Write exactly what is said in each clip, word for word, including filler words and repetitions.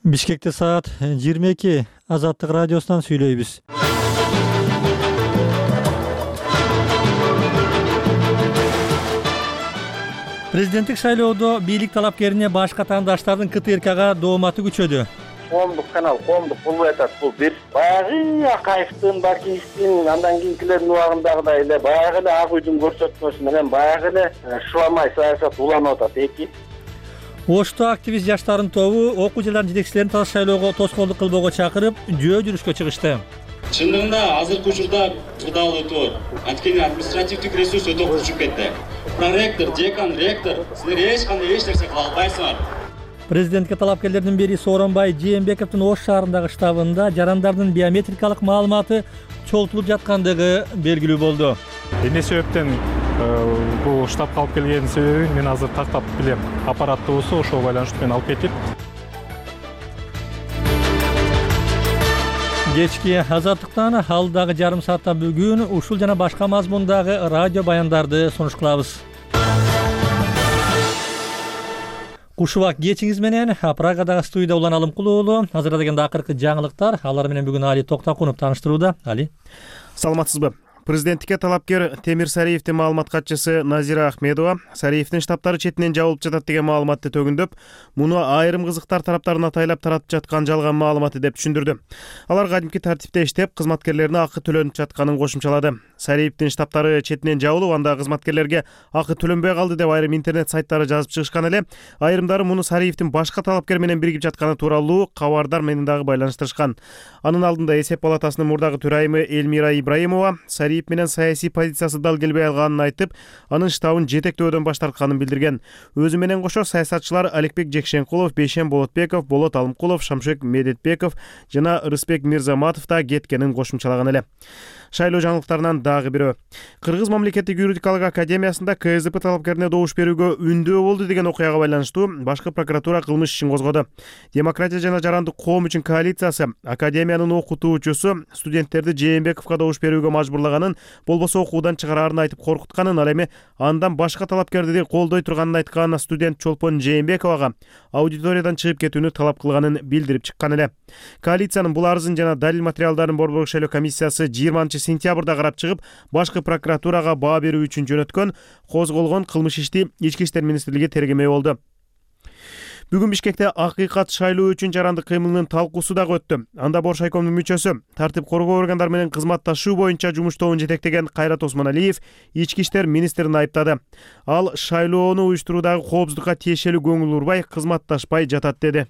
Бишкекте саат жыйырма эки. Азаттык радиосунан сүйлөйбүз. Президенттик шайлоодо бийлик талапкерине башка тандаштардын КТРКга дооматы күчөдү. Коомдук канал, коомдук болбой атат. Бул бир баягы Акаевдин, Бакиевдин, андан кийинкилердин убагындагыдай эле баягы эле ак үйдүн көрсөтмөсү менен баягы эле шуламай саясат уланып атат. Эки Ошто активист жаштардын тобу окуу жылдарын жетекчилерин таза шайлоого тоскоолдук кылбоого чакырып, жөө жүрүшкө чыгышты. Чындыгында азыркы учурда кырдаал өтүп атат. Анткени административдик ресурс өтө кучуп кетти. Проректор, декан, ректор силер эч кандай эч нерсе кыла албайсыңар. Президентке талапкерлердин бири Сооронбай Жээнбековдун Ош шаарындагы штабында жарандардын биометрикалык маалыматы чогултулуп жаткандыгы белгилүү болду. Эмне себептен бул штабка алып келгенин себебин мен азыр тактап билем. Аппаратыбызды ошого байланыштуу менен алып кетип. Кечки азаттыктан алдагы жарым саатта бүгүн ушул жана башка мазмундагы радио баяндарды сунуш кылабыз. Куш убак кечиңиз менен Прагадагы студияда Улан Алымкул уулу азырдагы акыркы жаңылыктар. Алар менен бүгүн Али Токтакунов тааныштырууда. Али. Саламатсызбы? Президенттикке талапкер Темир Сариевдин маалымат катчысы Назира Ахмедова Сариевдин штабтары четинен жабылып жатат деген маалыматты төгүндөп, муну айрым кызыктар тараптарын атайлап таратып жаткан жалган маалыматы деп түшүндүрдү. Алар кадимки тартипте иштеп, кызматкерлерине акы төлөнүп жатканын кошумчалады. Сариевдин штабтары четинен жабылып, анда кызматкерлерге акы төлөнбөй калды деп айрым интернет сайттары жазып чыгышкан эле. Айрымдары муну Сариевдин башка талапкер менен биригип жатканы тууралуу кабардар менен дагы байланыштырышкан. Анын алдында Эсеп палатасынын мурдагы төрайымы Эльмира Ибраимова Сариев менен саясий позициясы дал келбей алганын айтып, анын штабын жетектөөдөн баш тартканын билдирген. Өзү менен кошо саясатчылар Аликбек Жекшенкулов, Бейшен Болотбеков, Болот Алымкулов, Шамшек Медетбеков жана Рыспек Мирзаматов да кеткенин кошумчалаган эле. Шайлоо жаңылыктарынан дагы бирөө. Кыргыз мамлекеттик юридикалык академиясында КСДП талапкерине добуш берүүгө үндөө болду деген окуяга байланыштуу башкы прокуратура кылмыш ишин козгоду. Демократия жана жарандык коом үчүн коалициясы академиянын окутуучусу студенттерди Жээнбековго добуш берүүгө мажбурлаганын, болбосо окуудан чыгарарын айтып коркутканын, ал эми андан башка талапкерди колдой турганын айткан студент Чолпон Жээнбековага аудиториядан чыгып кетүүнү талап кылганын билдирип чыккан эле. Коалициянын бул арызын жана далил материалдарын Борбордук шайлоо комиссиясы жыйырманчы сентябрда карап чыгып, башкы прокуратурага баа берүү үчүн жөнөткөн козголгон кылмыш ишти Ички иштер министрлиги тергемей болду. Бүгүн Бишкекте акыйкат шайлоо үчүн жарандык кыймылынын талкуусу дагы өттү. Анда Боршайкомдун мүчөсү, тартип коргоо органдары менен кызматташуу боюнча жумуш тобун жетектеген Кайрат Осмоналиев Ички иштер министрин айыптады. Ал шайлоону уюштуруудагы коопсуздукка тиешелүү көңүл урбай, кызматташпай жатат деди.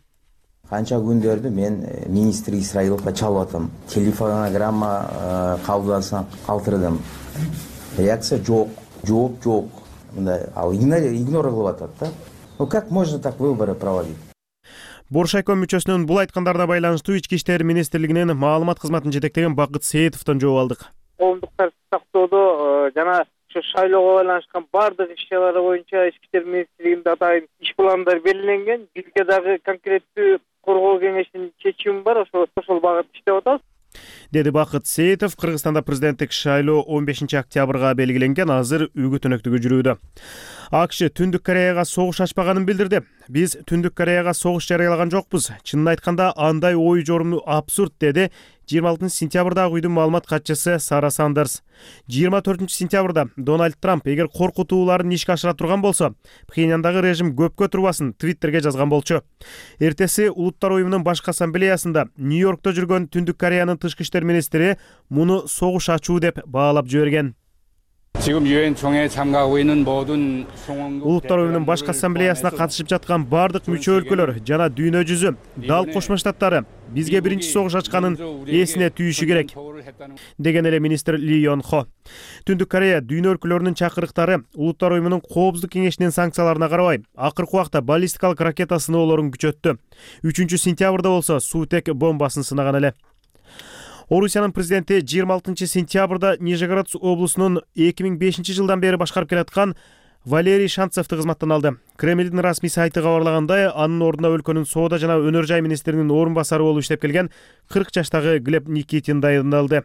Канча күндөрдү мен министр Исраиловго чалып атам. Телефонограмма кабылданса калтырдым. Реакция жок, жооп жок. Мындай ал игнор кылып атат да. Ну как можно так выборы проводить? Боршайком мүчөсүнүн бул айткандарына байланыштуу Ички иштер министрлигинин маалымат кызматын жетектеген Бакыт Сеетовдон жооп алдык. Коомдук тартипти сактоодо жана ошо шайлоого байланышкан бардык иш-чаралар боюнча Ички иштер министрлигинде атайын иш пландары белгиленген. Бизге дагы конкреттүү коргоо кеңешинин чечими бар, ошо ошол багытта иштеп атабыз, деди Бакыт Сеетов. Кыргызстанда президенттик шайлоо он бешинчи октябрга белгиленген, азыр үгүт өнөктүгү жүрүүдө. АКШ Түндүк Кореяга согуш ачпаганын билдирди. Биз Түндүк Кореяга согуш жарыялаган жокпуз. Чынын айтканда андай ой жоруму абсурд, деди жыйырма алтынчы сентябрдагы үйдүн маалымат катчысы Сара Сандерс. жыйырма төртүнчү сентябрда Дональд Трамп эгер коркутууларын ишке ашыра турган болсо, Пхеньяндагы режим көпкө турбасын Твиттерге жазган болчу. Эртеси Улуттар уюмунун башкы ассамблеясында Нью-Йоркто жүргөн Түндүк Кореянын тышкы иштер министри муну согуш ачуу деп баалап жиберген. Улуттар уюмунун башкы ассамблеясына катышып жаткан бардык мүчө өлкөлөр жана дүйнө жүзү, дал Кошмо Штаттары бизге биринчи согуш ачканын эсине түйүшү керек, деген эле министр Ли Йон Хо. Түндүк Корея дүйнө өлкөлөрүнүн чакырыктары Улуттар уюмунун коопсуздук кеңешинин санкцияларына карабай, акыркы убакта баллистикалык ракета сыноолорун күчөттү. үчүнчү сентябрда болсо Сутек бомбасын сынаган эле. Орусиянын президенти жыйырма алтынчы сентябрда Нижегород облусунун эки миң бешинчи жылдан бери башкарып келаткан Валерий Шанцевди кызматтан алды. Кремлдин расмий сайты кабарлагандай, анын ордуна өлкөнүн соода жана өнөр жай министринин орун басары болуп иштеп келген кырк жаштагы Глеб Никитин дайындалды.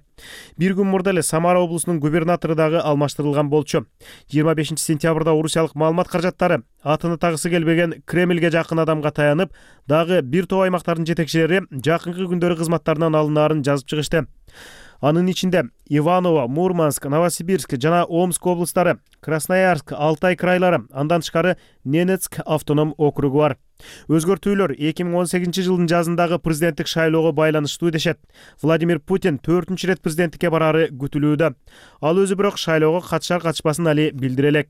Бир күн мурда эле Самара облусунун губернатору дагы алмаштырылган болчу. жыйырма бешинчи сентябрда орусиялык маалымат каражаттары атыны тагысы келбеген Кремлге жакын адамга таянып, дагы бир топ аймактардын жетекчилери жакынкы күндөрү кызматтарынан алынаарын жазып чыгышты. Анын ичинде Иваново, Мурманск, Новосибирск жана Омск облустары, Красноярск, Алтай крайлары, андан тышкары Ненецк автоном округу бар. Өзгөртүүлөр эки миң он сегизинчи жылдын жазындагы президенттик шайлоого байланыштуу дешет. Владимир Путин төртүнчү ирет президенттикке барары күтүлүүдө. Ал өзү бирок шайлоого катышар катышпасын али билдире элек.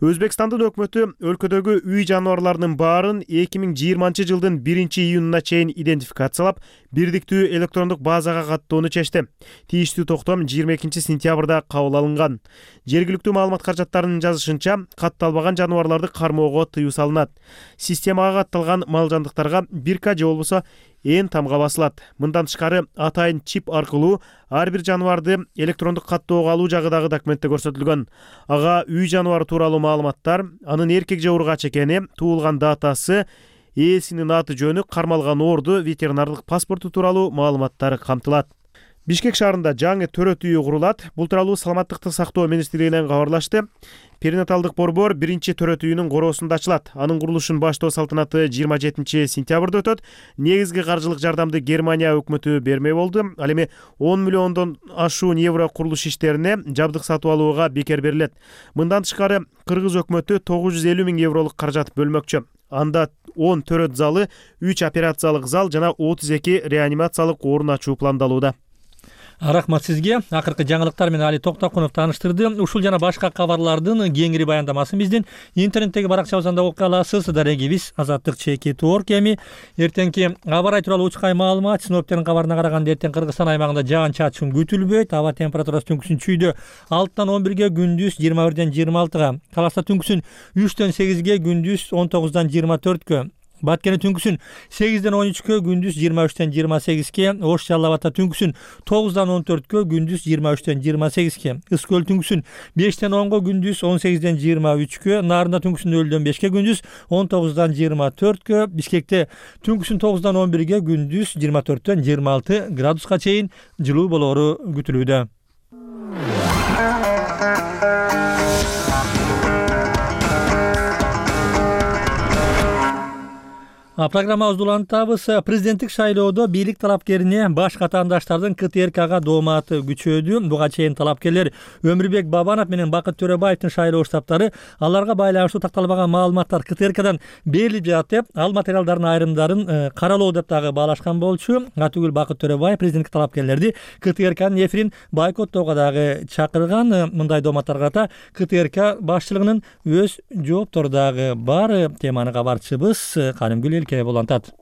Өзбекстандын өкмөтү өлкөдөгү үй жаныбарларынын баарын эки миң жыйырманчы жылдын биринчи июнуна чейин идентификациялап, бирдиктүү электрондук базага каттоону чечти. Тийиштүү токтом жыйырма экинчи сентябрда кабыл алынган. Жергиликтүү маалымат каражаттарынын жазышынча, катталбаган жаныбарларды кармоого тыюу салынат. Системага катталган мал жандыктарга бирка же болбосо эн тамга басылат. Мындан тышкары атайын чип аркылуу ар бир жаныбарды электрондук каттоого алуу жагы дагы документте көрсөтүлгөн. Ага үй жаныбары тууралуу маалыматтар, анын эркек же ургач экени, туулган датасы, ээсинин аты жөнү, кармалган орду, ветеринардык паспорту тууралуу маалыматтар камтылат. Бишкек шаарында жаңы төрөт үйү курулат. Бул тууралуу Саламаттыкты сактоо министрлигинен кабарлашты. Перинаталдык борбор биринчи төрөт үйүнүн короосунда ачылат. Анын курулушун баштоо салтанаты жыйырма жетинчи сентябрда өтөт. Негизги каржылык жардамды Германия өкмөтү бермей болду. Ал эми он миллиондон ашуун евро курулуш иштерине жабдык сатып алууга бекер берилет. Мындан тышкары Кыргыз өкмөтү тогуз жүз элүү миң евролук каражат бөлмөкчү. Анда он төрөт залы, үч операциялык зал жана отуз эки реанимациялык орун ачуу пландалууда. Рахмат сизге. Акыркы жаңылыктар менен Али Токтокунов тааныштырды. Ушул жана башка кабарлардын кеңири баяндамасын биздин интернеттеги баракчабыздан окуй аласыз. Дарегибиз Азаттык чекит точка орг. Эми эртеңки аба ырайы тууралуу учкай маалымат. Синоптиктердин кабарына караганда эртең Кыргызстан аймагында жаан чачын күтүлбөйт. Аба температурасы түнкүсүн чүйдө алтыдан он бирге, күндүз жыйырма бирден жыйырма алтыга. Каласа түнкүсүн үчтөн сегизге, күндүз он тогуздан жыйырма төрткө. Баткени түнкүсүн сегизден он үчкө, күндүз жыйырма үчтөн жыйырма сегизге. Ош Жалал Абадта түнкүсүн тогуздан он төрткө, күндүз жыйырма үчтөн жыйырма сегизге. Ыс көл түнкүсүн бештен онго, күндүз он сегизден жыйырма үчкө. Нарында түнкүсүн нөлдөн бешке, күндүз он тогуздан жыйырма төрткө. Бишкекте түнкүсүн тогуздан он бирге, күндүз жыйырма төрттөн жыйырма алты градуска чейин жылуу болоору күтүлүүдө. Программабызды улантабыз. Президенттик шайлоодо бийлик талапкерине башка атаандаштардын ка тэ эр кга дооматы күчөөдү. Буга чейин талапкерлер Өмүрбек Бабанов менен Бакыт Төрөбаевдин шайлоо штабтары аларга байланыштуу такталбаган маалыматтар ка тэ эр кадан берилип жатат деп, ал материалдардын айрымдарын каралоо деп дагы баалашкан болчу. Атүгүл Бакыт Төрөбаев президенттик талапкерлерди ка тэ эр кнын эфирин бойкоттоого дагы чакырган. Мындай дооматтарга карата ка тэ эр к башчылыгынын өз жооптору дагы бар. Теманы кабарчыбыз Канымгүл болантат.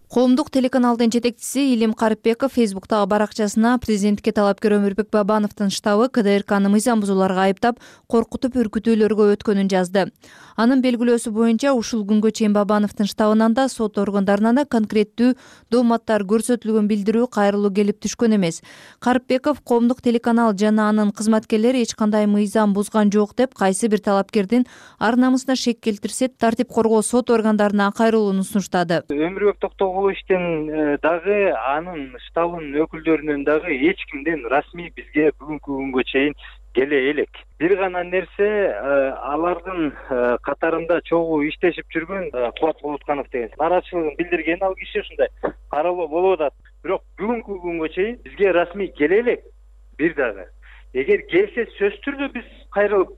Коомдук телеканалдын жетекчиси Илим Карипбеков Фейсбуктагы баракчасына президенттикке талапкер Өмүрбек Бабановдун штабы ка тэ эр кны мыйзам бузууларга айыптап, коркутуп үркүтүүлөргө өткөнүн жазды. Анын белгилөөсү боюнча ушул күнгө чейин Бабановдун штабынан да сот органдарынан да конкреттүү дооматтар көрсөтүлгөн билдирүү кайрылуу келип түшкөн эмес. Карипбеков коомдук телеканал жана анын кызматкерлери эч кандай мыйзам бузган жок деп, кайсы бир талапкердин ар намысына шек келтирсе, тартип коргоо сот органдарына кайрылууну сунуштады. Өмүрбек Токтогуловичтен дагы анын штабынын өкүлдөрүнөн дагы эч кимден расмий бизге бүгүнкү күнгө чейин келе элек. Бир гана нерсе, алардын катарында чогуу иштешип жүргөн Кубат Болотканов деген нааразычылыгын билдирген ал киши ушундай каралуу болуп атат. Бирок бүгүнкү күнгө чейин бизге расмий келе элек бир дагы. Эгер келсе сөзсүз түрдө биз кайрылып,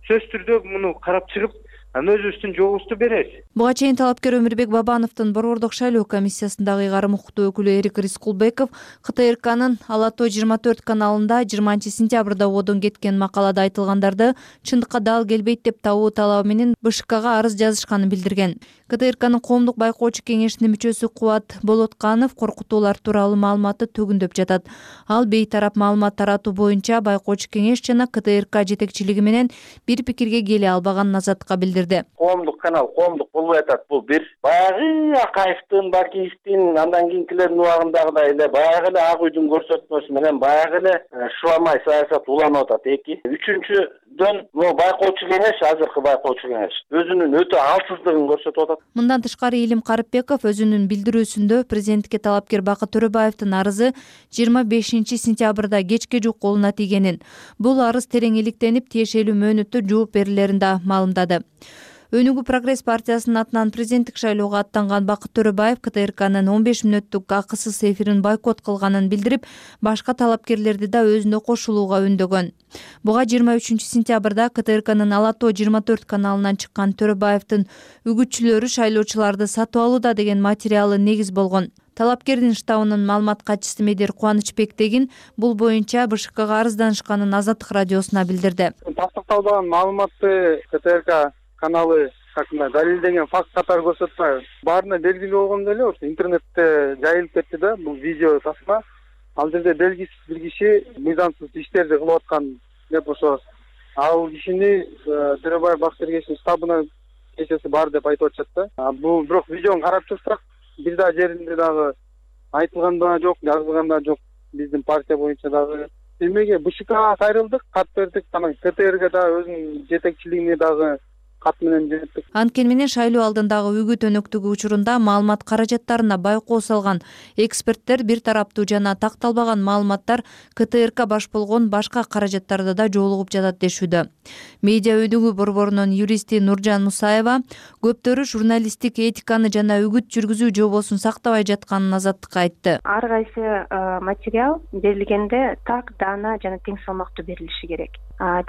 сөзсүз түрдө муну карап чыгып, анын өзүбүздүн жообузду беребиз. Буга чейин талапкер Өмүрбек Бабановдун борбордук шайлоо комиссиясындагы ыйгарым укуктуу өкүлү Эрик Рискулбеков ка тэ эр кнын Ала Тоо жыйырма төрт каналында жыйырманчы сентябрда одон кеткен макалада айтылгандарды чындыкка дал келбейт деп табуу талабы менен бэ ш кга арыз жазышканын билдирген. ка тэ эр кнын коомдук байкоочу кеңешинин мүчөсү Кубат Болотканов коркутуулар тууралуу маалыматты төгүндөп жатат. Ал бейтарап маалымат таратуу боюнча байкоочу кеңеш жана ка тэ эр к жетекчилиги менен бир пикирге келе албаганын Азаттыкка билдирди. билдирди. Коомдук канал коомдук болбой атат. Бул бир баягы Акаевдин, Бакиевдин, андан кийинкилердин убагындагыдай эле баягы эле ак үйдүн көрсөтмөсү менен баягы эле шуламай саясат уланып атат. Эки. Үчүнчүдөн бул байкоочу кеңеш, азыркы байкоочу кеңеш өзүнүн өтө алсыздыгын көрсөтүп атат. Мындан тышкары Илим Карыпбеков өзүнүн билдирүүсүндө президентке талапкер Бакыт Төрөбаевдин арызы жыйырма бешинчи сентябрда кечке жук колуна тийгенин, бул арыз терең иликтенип тиешелүү мөөнөттө жооп берилерин да маалымдады. Өнүгүү Прогресс партиясынын атынан президенттик шайлоого аттанган Бакыт Төрөбаев КТРКнын он беш мүнөттүк акысыз эфирин бойкот кылганын билдирип, башка талапкерлерди да өзүнө кошулууга үндөгөн. Буга жыйырма үчүнчү сентябрда КТРКнын Ала тоо жыйырма төрт каналынан чыккан Төрөбаевдин үгүтчүлөрү шайлоочуларды сатып алууда деген материалы негиз болгон. Талапкердин штабынын маалымат катчысы Медер Кубанычбектегин бул боюнча БШКга арызданышканын Азаттык радиосуна билдирди. Тастыкталбаган маалыматты КТРК каналы шартында далилдеген факт катары көрсөтпөй, баарына белгилүү болгондой эле ошо интернетте жайылып кетти да бул видео тасма. Ал жерде белгисиз бир киши мыйзамсыз иштерди кылып аткан деп ошо ал кишини Төрөбаев Бакытбергеновдун штабына кечеси бар деп айтып атышат да. Бул бирок видеону карап турсак, бир да жеринде дагы айтылган да жок, жазылган да жок. Биздин партия боюнча дагы эмеге БШКга кайрылдык, кат бердик, анан КТРге да өзүнүн жетекчилигине дагы кат менен жөнөттүк. Анткени менен шайлоо алдындагы үгүт өнөктүгү учурунда маалымат каражаттарына байкоо салган эксперттер бир тараптуу жана такталбаган маалыматтар КТРК баш болгон башка каражаттарда да жолугуп жатат дешүүдө. Медиа өнүгүү борборунун юристи Нуржан Мусаева көптөрү журналисттик этиканы жана үгүт жүргүзүү жобосун сактабай жатканын Азаттыкка айтты. Ар кайсы материал берилгенде так, даана жана тең салмактуу берилиши керек.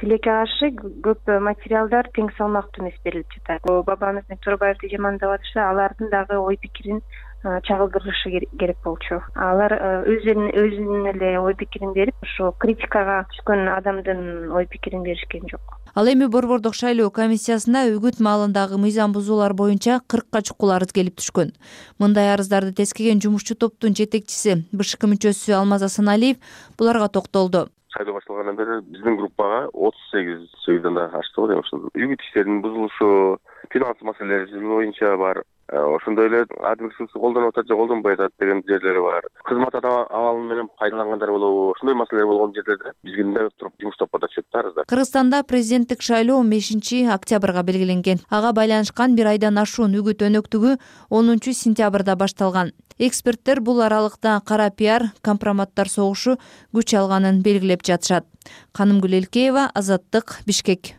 Тилекке каршы көп материалдар тең салмактуу эмес берилип жатат. Бабамыз Төрөбаевди жамандап атышса, алардын дагы ой пикирин чагылдырышы керек болчу. Алар өзүнүн өзүнүн эле ой пикирин берип, ошо критикага түшкөн адамдын ой пикирин беришкен жок. Ал эми борбордук шайлоо комиссиясына үгүт маалындагы мыйзам бузуулар боюнча кыркка чукул арыз келип түшкөн. Мындай арыздарды тескеген жумушчу топтун жетекчиси БШК мүчөсү Алмаз Асаналиев буларга токтолду. Шайлоо башталгандан бери биздин группага отуз сегиз сөйдөн да ачты го дейм. Үгүт иштеринин бузулушу, финанс маселелери боюнча бар. Ошондой эле админ ресурсу колдонуп атат же колдонбой атат деген жерлери бар. Кызмат абалы менен пайдалангандар болобу? Ошондой маселелер болгон жерлерде бизге да туруп жумуш топпода түшөт да арыздар. Кыргызстанда президенттик шайлоо он бешинчи октябрга белгиленген. Ага байланышкан бир айдан ашуун үгүт өнөктүгү онунчу сентябрда башталган. Эксперттер бул аралыкта кара пиар, компроматтар согушу күч алганын белгилеп жатышат. Канымгүл Элкеева, Азаттык, Бишкек.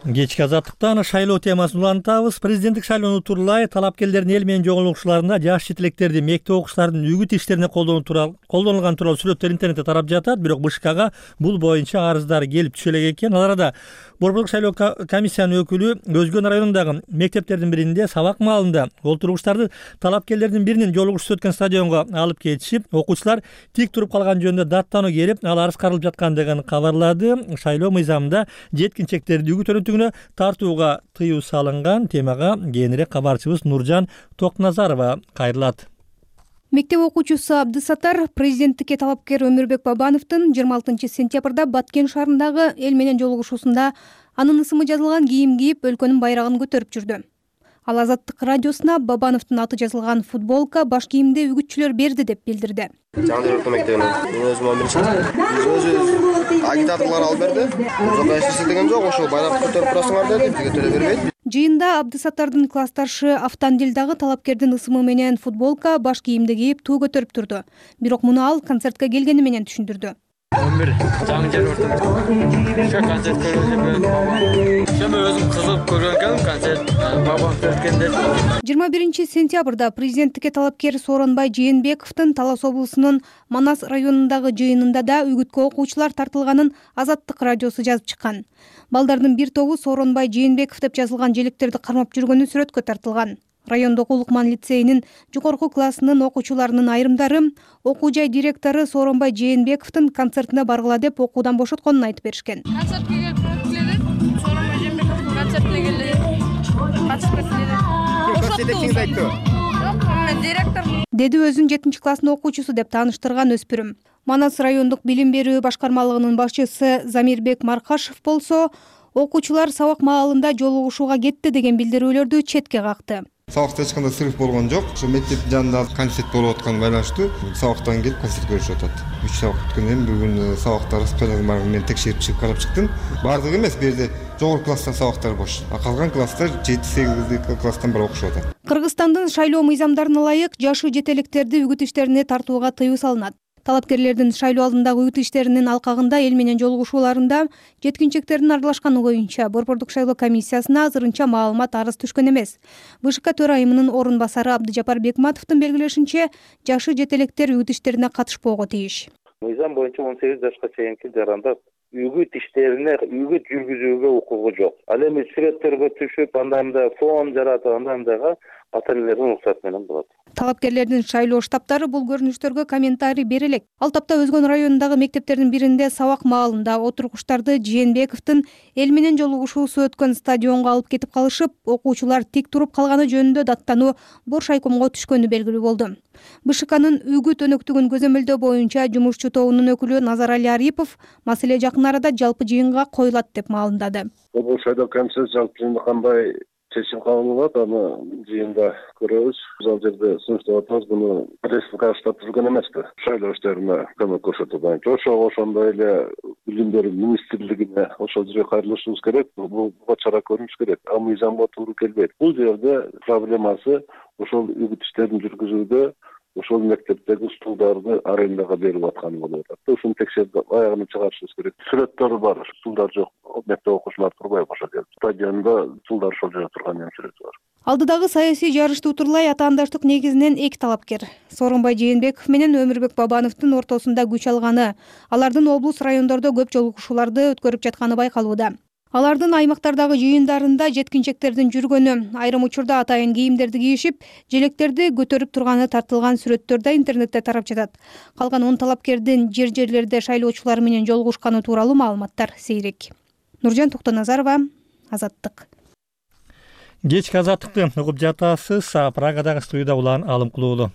Кечки Азаттыктан шайлоо темасын улантабыз. Президенттик шайлоону тууралай талапкерлердин эл менен жолугушууларында жаш четелектерди мектеп окуучуларынын үгүт иштерине колдонулган тууралуу сүрөттөр интернетте тарап жатат. Бирок БШКга бул боюнча арыздар келип түшө элек экен. Ал арада борбордук шайлоо комиссиянын өкүлү Өзгөн районундагы мектептердин биринде сабак маалында олтургучтарды талапкерлердин биринин жолугушуусу өткөн стадионго алып кетишип, окуучулар тик туруп калган жөнүндө даттануу келип, ал арыз каралып жаткандыгын кабарлады. Шайлоо мыйзамында жеткинчектерди үгүт өнөктүгүнө тартууга тыюу салынган. Темага кийинирээк кабарчыбыз Нуржан Токназарова кайрылат. Мектеп окуучусу Абдысаттар президенттикке талапкер Өмүрбек Бабановдун жыйырма алтынчы сентябрда Баткен шаарындагы эл менен жолугушуусунда анын ысымы жазылган кийим кийип өлкөнүн байрагын көтөрүп жүрдү. Ал Азаттык радиосуна Бабановдун аты жазылган футболка, баш кийимди үгүтчүлөр берди деп билдирди. Жаңы жергиликтүү мектебинен өзүм он биринчи өзү агитаторлор алып берди. Ошондой эч деген жок, ошол байракты көтөрүп турасыңар деди, бизге төлөп бербейт. Жыйында Абдысаттардын классташы Автандил дагы талапкердин ысымы менен футболка, баш кийимди кийип туу көтөрүп турду. Бирок муну ал концертке келгени менен түшүндүрдү. он бир жаңы жер өртүп ошо концерт көргөнү ошону өзүм кызыгып көргөн экенмин. Концерт бабам өткөндө жыйырма биринчи сентябрда президенттикке талапкер Сооронбай Жээнбековдун Талас облусунун Манас районундагы жыйынында да үгүткө окуучулар тартылганын Азаттык радиосу жазып чыккан. Балдардын бир тобу Сооронбай Жээнбеков деп жазылган желектерди кармап жүргөнү сүрөткө тартылган. Райондогу Улукман лицейинин жогорку классынын окуучуларынын айрымдары окуу жай директору Сооронбай Жээнбековдун концертине баргыла деп окуудан бошотконун айтып беришкен. Концертке келип келдик. Сооронбай Жээнбековдун концертине келдик. Катышып келдик. Көрсөтөтсүңүз айтты. Жок, мен директор. деди өзүн жетинчи класстын окуучусу деп тааныштырган өспүрүм. Манас райондук билим берүү башкармалыгынын башчысы Замирбек Маркашев болсо, окуучулар сабак маалында жолугушууга кетти деген билдирүүлөрдү четке какты. Сабакта эч кандай сырык болгон жок. Ошо мектептин жанында концерт болуп атканы байланыштуу сабактан келип концерт көрүшүп атат. үч сабак бүткөндөн кийин бүгүн сабактар распорядогун барып мен текшерип чыгып карап чыктым. Бардыгы эмес, бу жерде жогорку класстан сабактар бош. А калган класстар жети сегиз класстан бери окушуп атат. Кыргызстандын шайлоо мыйзамдарына ылайык жашы жетелектерди үгүт иштерине тартууга тыюу салынат. Талапкерлердин шайлоо алдындагы үгүт иштеринин алкагында эл менен жолугушууларында жеткинчектердин аралашканы боюнча Борбордук шайлоо комиссиясына азырынча маалымат арыз түшкөн эмес. БШК төрайымынын орун басары Абдыжапар Бекматовдун белгилешинче, жашы жетелектер үгүт иштерине катышпоого тийиш. Мыйзам боюнча он сегиз жашка чейинки жарандар үгүт иштерине үгүт жүргүзүүгө укугу жок. Ал эми сүрөттөргө түшүп, анда-мында фон жаратып, анда-мындага ата-энелердин уруксаты менен болот. Талапкерлердин шайлоо штабтары бул көрүнүштөргө комментарий бере элек. Ал тапта Өзгөн районундагы мектептердин биринде сабак маалында отургучтарды Жээнбековдун эл менен жолугушуусу өткөн стадионго алып кетип калышып, окуучулар тик туруп калганы жөнүндө даттануу Бош айкомго түшкөнү белгилүү болду. БШКнын үгүт өнөктүгүн көзөмөлдөө боюнча жумушчу тобунун өкүлү Назарали Арипов маселе жакын арада жалпы жыйынга коюлат деп маалымдады. Бул шайлоо комиссиясы жалпы жыйында кандай чечим кабыл кылат, аны жыйында көрөбүз. Биз ал жерде сунуштап атабыз, буну республика штаб түзгөн эмеспи. Шайлоо иштерине көмөк көрсөтүү боюнча ошого ошондой эле билим берүү министрлигине ошол жерге кайрылышыбыз керек. Буга чара көрүшүбүз керек. А мыйзамга туура келбейт. Бул жерде проблемасы ошол үгүт иштерин жүргүзүүдө ошол мектептеги стулдарды арендага берип атканы болуп атат. Ушуну текшерип аягына чыгарышыбыз керек. Сүрөттөр бар, стулдар жок. Мектеп окуучулар турбайбы ошол жерде. Стадиондо стулдар ошол жерде турган эми сүрөтү бар. Алдыдагы саясий жарышты утурлай атаандаштык негизинен эки талапкер Сооронбай Жээнбеков менен Өмүрбек Бабановдун ортосунда күч алганы, алардын облус райондордо көп жолугушууларды өткөрүп жатканы байкалууда. Алардын аймактардагы жыйындарында жеткинчектердин жүргөнү, айрым учурда атайын кийимдерди кийишип, желектерди көтөрүп турганы тартылган сүрөттөр да интернетте тарап жатат. Калган он талапкердин жер-жерлерде шайлоочулар менен жолугушканы тууралуу маалыматтар сейрек. Нуржан Токтоназарова, Азаттык. Кечки Азаттыкты угуп жатасыз. Прагадагы студияда Улан Алымкулуулу.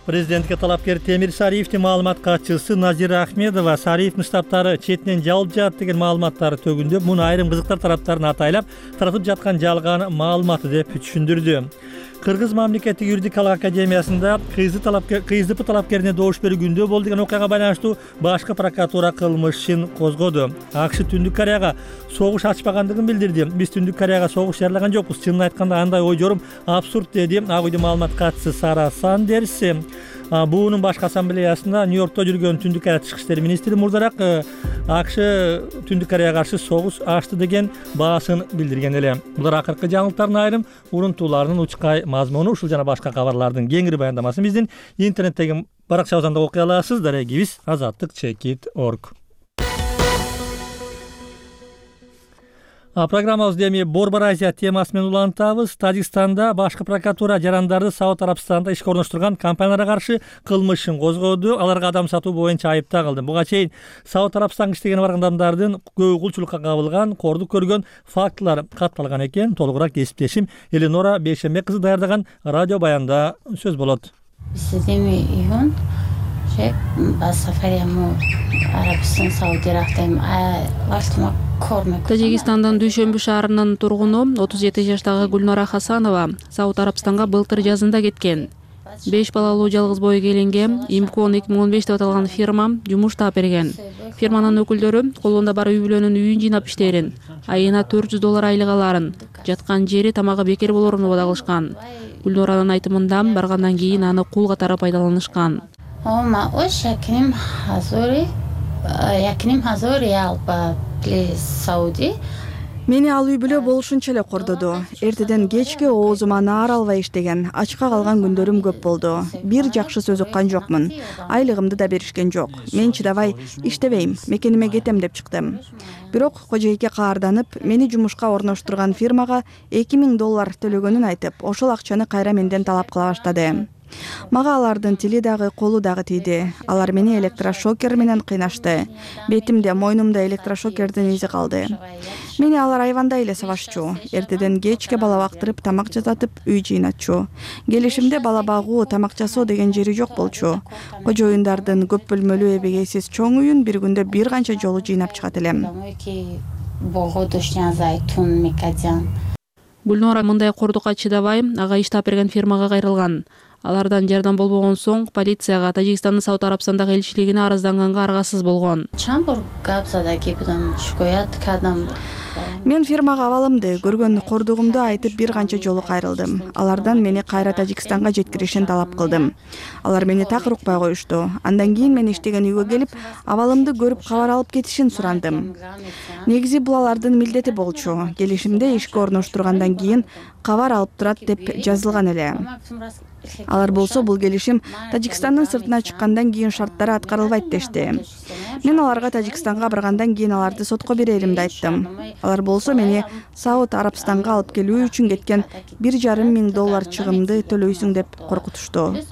Президентке талапкер Темир Сариевдин маалымат катчысы Назира Ахмедова Сариевдин штабтары четинен жабылып жатат деген маалыматтары төгүндөп, муну айрым кызыктар тараптарын атайлап, таратып жаткан жалган маалыматы деп түшүндүрдү. Кыргыз мамлекеттик юридикалык академиясында КСДП талапкерине добуш берүү күндө болду деген окуяга байланыштуу башкы прокуратура кылмыш ишин козгоду. АКШ Түндүк Кореяга согуш ачпагандыгын билдирди. Биз Түндүк Кореяга согуш жарылаган жокпуз. Чынын айтканда андай ой жорум абсурд деди Ак үйдүн маалымат катчысы Сара Сандерс. Буунун башкы ассамблеясында Нью-Йоркто жүргөн Түндүк Корея тышкы иштер министри мурдараак АКШ Түндүк Кореяга каршы согуш ачты деген баасын билдирген эле. Булар акыркы жаңылыктардын айрым урунтууларынын учкай мазмуну. Ушул жана башка кабарлардын кеңири баяндамасын биздин интернеттеги баракчабыздан да окуй аласыз. Дарегибиз азаттык чекит точка орг. Программабызды эми Борбор Азия темасы менен улантабыз. Тажикстанда башкы прокуратура жарандарды Сауд Арабстанда ишке орноштурган компанияларга каршы кылмыш ишин козгоду. Аларга адам сатуу боюнча айыпта кылды. Буга чейин Сауд Арабстанга иштеген барган адамдардын көбү кулчулукка кабылган, кордук көргөн фактылар катталган экен. Толугураак кесиптешим Эленора Бейшембек кызы даярдаган радио баянда сөз болот. Тажикстандын Дүйшөмбү шаарынын тургуну отуз жети жаштагы Гүлнара Хасанова Сауд Арабстанга былтыр жазында кеткен. беш балалуу жалгыз бой келинге Имкон эки миң он беш деп аталган фирма жумуш таап берген. Фирманын өкүлдөрү колунда бар үй бүлөнүн үйүн жыйнап иштээрин, айына төрт жүз доллар айлык аларын, жаткан жери тамагы бекер болорун убада кылышкан. Гүлноранын айтымында баргандан кийин аны кул катары пайдаланышкан. Мени ал үй бүлө болушунча эле кордоду. Эртеден кечке оозума наар албай иштеген, ачка калган күндөрүм көп болду. Бир жакшы сөз уккан жокмун. Айлыгымды да беришкен жок. Мен чыдабай иштебейм, мекениме кетем деп чыктым. Бирок кожойке каарданып, мени жумушка орноштурган фирмага эки миң доллар төлөгөнүн айтып, ошол акчаны кайра менден талап кыла баштады. Мага алардын тили дагы колу дагы тийди. Алар мени электрошокер менен кыйнашты. Бетимде, мойнумда электрошокердин изи калды. Мени алар айванда эле сабашчу. Эртеден кечке бала бактырып, тамак жасатып, үй жыйнатчу. Келишимде бала багуу, тамак жасоо деген жери жок болчу. Кожоюндардын көп бөлмөлүү эбегейсиз чоң үйүн бир күндө бир канча жолу жыйнап чыгат элем. Гүлнора мындай кордукка чыдабай, ага иштап берген фирмага кайрылган. Алардан жардам болбогон соң полицияга Тажикстандын Сауд Арабстандагы элчилигине арызданганга аргасыз болгон. Мен фирмага абалымды, көргөн кордугумду айтып бир канча жолу кайрылдым. Алардан мени кайра Тажикстанга жеткиришин талап кылдым. Алар мени так укпай коюшту. Андан кийин мен иштеген үйгө келип, абалымды көрүп кабар алып кетишин сурандым. Негизи бул алардын милдети болчу. Келишимде ишке орноштургандан кийин кабар алып турат деп жазылган эле. Алар болсо бул келишим Тажикстандын сыртына чыккандан кийин шарттары аткарылбайт дешти. Мен аларга Тажикстанга баргандан кийин аларды сотко береримди айттым. Алар болсо мени Сауд Арабстанга алып келүү үчүн кеткен бир жарым миң доллар чыгымды төлөйсүң деп коркутушту.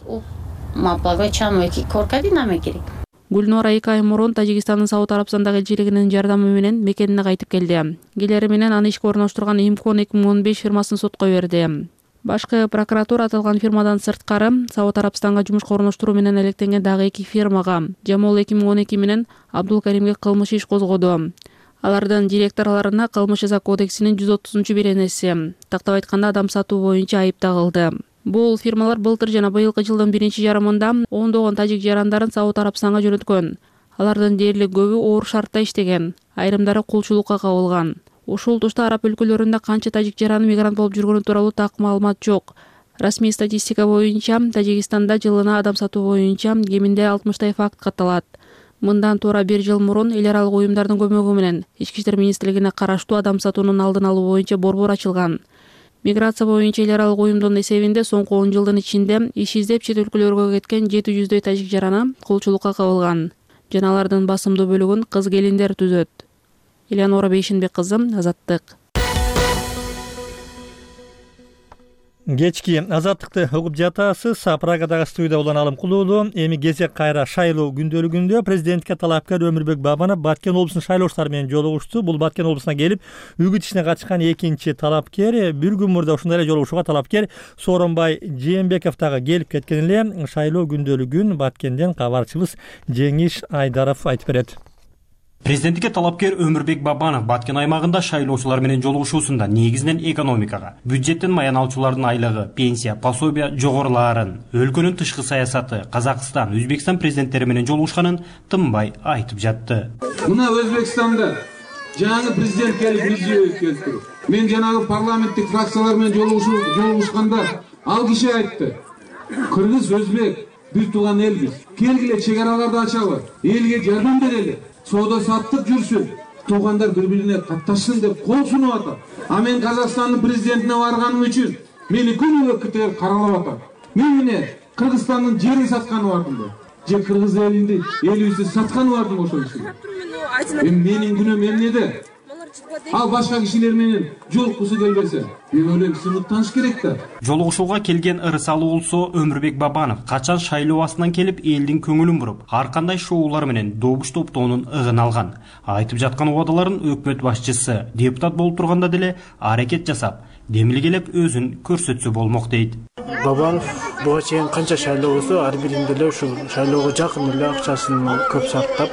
Гүлнора эки ай мурун Тажикстандын Сауд Арабстандагы элчилигинин жардамы менен мекенине кайтып келди. Келери менен аны ишке орноштурган Имкон эки миң он беш фирмасын сотко берди. Башкы прокуратура аталган фирмадан сырткары Сауд Арабстанга жумушка орноштуруу менен электенген дагы эки фирмага Жамол эки миң он эки менен Абдулкаримге кылмыш иш козгоду. Алардын директорлоруна кылмыш жаза кодексинин жүз отузунчу беренеси, тактап айтканда адам сатуу боюнча айып тагылды. Бул фирмалар былтыр жана быйылкы жылдын биринчи жарымында ондогон тажик жарандарын Сауд Арабстанга жөнөткөн. Алардын дээрлик көбү оор шартта иштеген, айрымдары кулчулукка кабылган. Ушул тушта араб өлкөлөрүндө канча тажик жараны мигрант болуп жүргөнү тууралуу так маалымат жок. Расмий статистика боюнча Тажикстанда жылына адам сатуу боюнча кеминде алтымыштай факт катталат. Мындан туура бир жыл мурун эл аралык уюмдардын көмөгү менен Ички иштер министрлигине караштуу адам сатуунун алдын алуу боюнча борбор ачылган. Миграция боюнча эл аралык уюмдун эсебинде соңку он жылдын ичинде иш издеп чет өлкөлөргө кеткен жети жүздөй тажик жараны кулчулукка кабылган. Жана алардын басымдуу бөлүгүн кыз келиндер түзөт. Элеонора Бейшенбек кызы, Азаттык. Кечки Азаттыкты угуп жатасыз. Прагадагы студияда Уланалым Кулуулу. Эми кезек кайра шайлоо күндөлүгүндө президентке талапкер Өмүрбек Бабанов Баткен облусунун шайлоочулары менен жолугушту. Бул Баткен облусуна келип, үгүт ишине катышкан экинчи талапкер. Бир күн мурда ушундай эле жолугушууга талапкер Сооронбай Жээнбеков дагы келип кеткен эле. Шайлоо күндөлүгүн Баткенден кабарчыбыз Жеңиш Айдаров айтып берет. Президенттикке талапкер Өмүрбек Бабанов Баткен аймагында шайлоочулар менен жолугушуусунда негизинен экономикага, бюджеттен маян алуучулардын айлыгы, пенсия, пособия жогорулаарын, өлкөнүн тышкы саясаты, Казакстан, Өзбекстан президенттери менен жолугушканын тынбай айтып жатты. Мына Өзбекстанда жаңы президент келип Мирзиёев келди. Мен жанагы парламенттик фракциялар менен жолугушканда ал киши айтты: Кыргыз, Өзбек бир тууган элбиз. Келгиле чек-араларды ачалы, элге жардам берели. Соода саттык жүрсүн, туугандар бири-бирине катташсын деп кол сунуп атат. А мен Казакстандын президентине барганым үчүн мени күнүгө КТР каралап атат. Мен эмне Кыргызстандын жерин сатканы бардымбы? Же кыргыз элинди элибизди сатканы бардымбы ошол кишиге? Эми менин күнөөм эмнеде? Ал башка кишилер менен жолуккусу келбесе, мен ойлойм сыныктаныш керек да. Жолугушууга келген ырысалы болсо Өмүрбек Бабанов качан шайлоо астынан келип элдин көңүлүн буруп, ар кандай шоулар менен добуш топтоонун ыгын алган. Айтып жаткан убадаларын өкмөт башчысы депутат болуп турганда деле аракет жасап, демилгелеп өзүн көрсөтсө болмок дейт. Бабанов буга чейин канча шайлоо болсо, ар биринде эле ушул шайлоого жакын эле акчасын көп сарптап,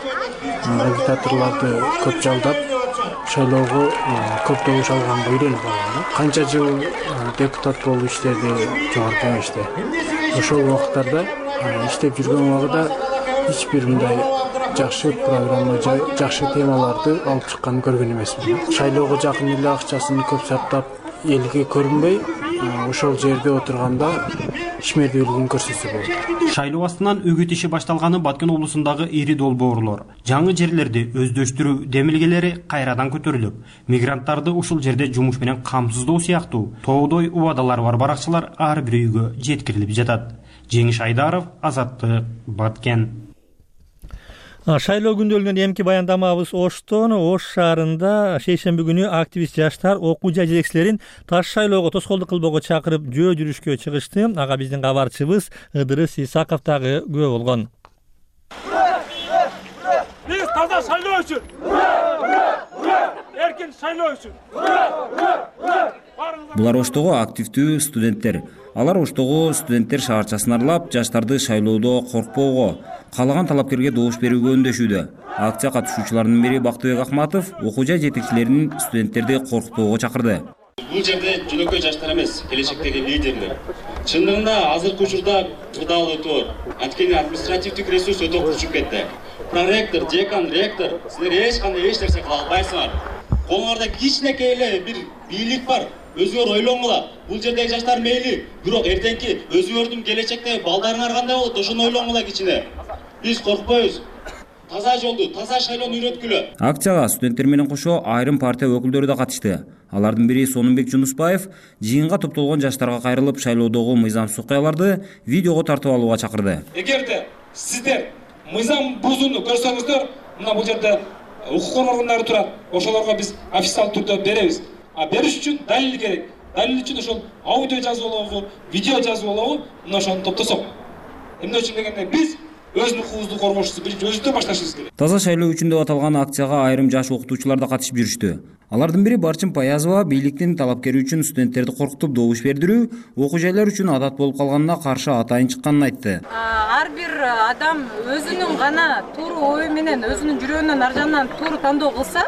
агитаторлорду көп жалдап, шайлоого көп добуш алганга үйрөнүп алган. Канча жыл депутат болуп иштеди жогорку кеңеште. Ошол убакыттарда иштеп жүргөн убагында эч бир мындай жакшы программа, жакшы темаларды алып чыкканын көргөн эмесмин. Шайлоого жакын эле акчасын көп сарптап, элге көрүнбөй, ошол жерде отурганда ишмердүүлүгүн көрсөтсө болот. Шайлоо астынан үгүт иши башталганы Баткен облусундагы ири долбоорлор, жаңы жерлерди өздөштүрүү демилгелери кайрадан көтөрүлүп, мигранттарды ушул жерде жумуш менен камсыздоо сыяктуу тоодой убадалар бар баракчылар ар бир үйгө жеткирилип жатат. Жеңиш Айдаров, Азаттык, Баткен. Шайлоо күндөлүгүнөн эмки баяндамабыз Оштон. Ош шаарында шейшемби күнү активист жаштар окуу жай жетекчилерин таш шайлоого тоскоолдук кылбоого чакырып жөө жүрүшкө чыгышты. Ага биздин кабарчыбыз Ыдырыс Исаков дагы күбө болгон. Биз таза шайлоо үчүн, эркин шайлоо үчүн. Булар Оштогу активдүү студенттер. Алар Оштогу студенттер шаарчасын аралап, жаштарды шайлоодо коркпоого, каалаган талапкерге добуш берүүгө үндөшүүдө. Акция катышуучуларынын бири Бактыбек Акматов окуу жай жетекчилерин студенттерди коркутпоого чакырды. Бул жерде жөнөкөй жаштар эмес, келечектеги лидерлер. Чындыгында азыркы учурда кырдаал өтө бар. Анткени административдик ресурс өтө курчуп кетти. Проректор, декан, ректор, силер эч кандай эч нерсе кыла албайсыңар. Колуңарда кичинекей эле бир бийлик бар. Өзүңөр ойлоңула. Бул жердеги жаштар мейли, бирок эртеңки өзүңөрдүн келечекте балдарыңар кандай болот, ошону ойлоңула кичине. Биз коркпойбуз. Таза жолду, таза шайлоону үйрөткүлө. Акцияга студенттер менен кошо айрым партия өкүлдөрү да катышты. Алардын бири Сонунбек Жунусбаев жыйынга топтолгон жаштарга кайрылып, шайлоодогу мыйзамсыз окуяларды видеого тартып алууга чакырды. Эгерде сиздер мыйзам бузууну көрсөңүздөр, мына бул жерде укук коргоогундары турат. Ошолорго биз официалдуу түрдө беребиз. А бериш үчүн далил керек. Далил үчүн ошол аудио жазуу болобу, видео жазуу болобу, мына ошону топтосок. Эмне үчүн дегенде биз өзүнүн укугубузду коргоочусу биринчи өзүбүздөн башташыбыз керек. Таза шайлоо үчүн деп аталган акцияга айрым жаш окутуучулар да катышып жүрүштү. Алардын бири Барчын Паязова бийликтин талапкери үчүн студенттерди коркутуп добуш бердирүү, окуу жайлар үчүн адат болуп калганына каршы атайын чыкканын айтты. Ар бир адам өзүнүн гана туура ою менен, өзүнүн жүрөгүнөн аржанынан туура тандоо кылса,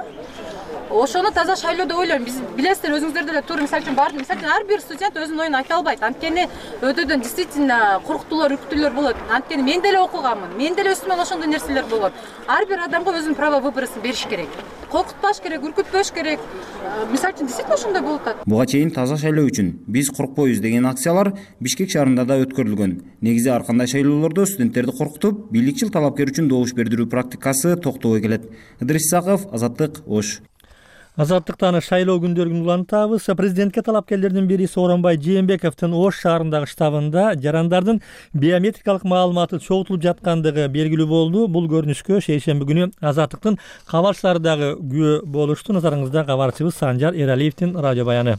ошону таза шайлоо деп ойлойм. Биз билесиздер, өзүңүздөр деле туура мисалы үчүн баардык мисалы үчүн ар бир студент өзүнүн оюн айта албайт. Анткени өтөдөн действительно коркутуулар, үркүтүүлөр болот. Анткени мен деле окуганмын. Мен деле үстүмөн ошондой нерселер болот. Ар бир адамга өзүнүн право выборын бериш керек. Коркутпаш керек, үркүтпөш керек. Мисалы үчүн действительно ошондой болуп атат. Буга чейин таза шайлоо үчүн биз коркпойбуз деген акциялар Бишкек шаарында да өткөрүлгөн. Негизи ар кандай шайлоолордо студенттерди коркутуп, бийликчил талапкер үчүн добуш бердирүү практикасы токтобой келет. Ыдырыс Исаков, Азаттык, Ош. Азаттыктан шайлоо күндөрүн улантабыз. Президентке талапкерлердин бири Сооронбай Жээнбековдун Ош шаарындагы штабында жарандардын биометрикалык маалыматы чогултулуп жаткандыгы белгилүү болду. Бул көрүнүшкө шейшемби күнү Азаттыктын кабарчылары дагы күбө болушту. Назарыңызда кабарчыбыз Санжар Эралиевдин радио баяны.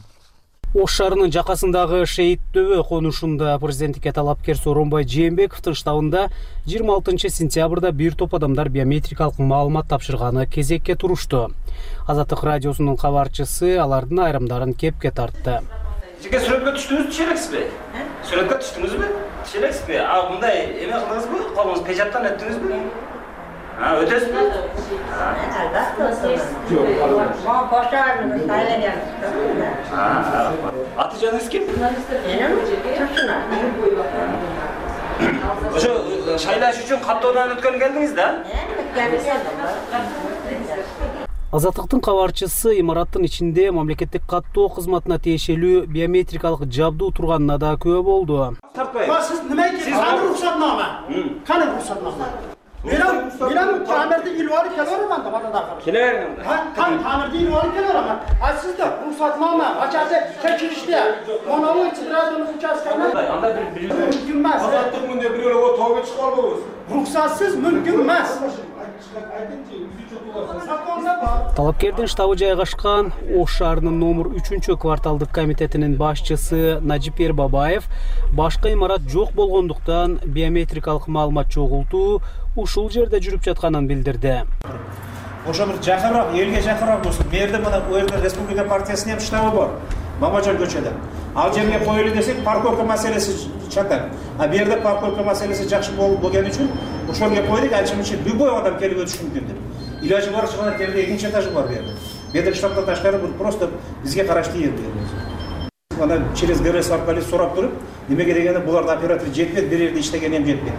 Ош шаарынын жакасындагы Шейит Дөбө конушунда президенттикке талапкер Сооронбай Жээнбековдун штабында жыйырма алтынчы сентябрда бир топ адамдар биометрикалык маалымат тапшырганы кезекке турушту. Азаттык радиосунун кабарчысы алардын айрымдарын кепке тартты. Жеке сүрөткө түштүңүз, түшүрөксүзбү? Сүрөткө түштүңүзбү? Түшүрөксүзбү? А мындай эме кылдыңызбы? Колуңуз печаттан өттүңүзбү? А, өтөсүзбү? Аты жаныңыз ким? Ошо шайлаш үчүн каттоодон өткөн келдиңиз да? Азаттыктын кабарчысы имараттын ичинде мамлекеттик каттоо кызматына тиешелүү биометрикалык жабдуу турганына да күбө болду. Сиз неме экенсиз? Каны уруксатнама? Каны уруксатнама? Менен менен тамирди илип алып келермин анда бата. Келермин. Кан тамирди илип алып келермин. А сизде уруксатнама, ачасы текшириште. Монолог чыгырадын участканы. Анда бир мүмкүн эмес. Азаттык мындай бирөө тоого чыгып албайбыз. Уруксатсыз мүмкүн эмес. Талапкердин штабы жайгашкан Ош шаарынын номер үчүнчү кварталдык комитетинин башчысы Нажипер Бабаев башка имарат жок болгондуктан биометрикалык маалымат чогултуу ушул жерде жүрүп жатканын билдирди. Ошо бир жакыныраак, элге жакыныраак болсун. Мерде мына у жерде Республика партиясынын ham штабы бар. Мамажан көчөдө. Ал жерге коелу десек, парковка маселеси чатак. А бу жерде парковка маселеси жакшы болгон үчүн ошол жерге койдук, анча үчүн любой адам келип өтүшү мүмкүн деп. Илажы бар чыгана жерде экинчи этажы бар бу жерде. Бедер штабтан ташкары бул просто бизге караштуу жер бу. Ана через ГРС аркылуу сурап туруп, немеге дегенде буларда оператор жетпейт, бир жерде иштеген эм жетпейт.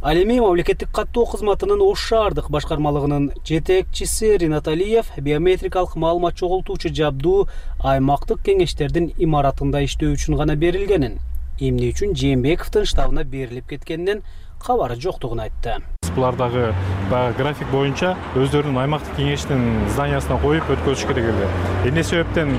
Ал эми мамлекеттик каттоо кызматынын Ош шаардык башкармалыгынын жетекчиси Ринат Алиев биометрикалык маалымат чогултуучу жабдуу аймактык кеңештердин имаратында иштөө үчүн гана берилгенин, эмне үчүн Жээнбековдун штабына берилип кеткенинен кабары жоктугун айтты. Булар дагы баягы график боюнча өздөрүнүн аймактык кеңештин зданиясына коюп өткөзүш керек эле. Эмне себептен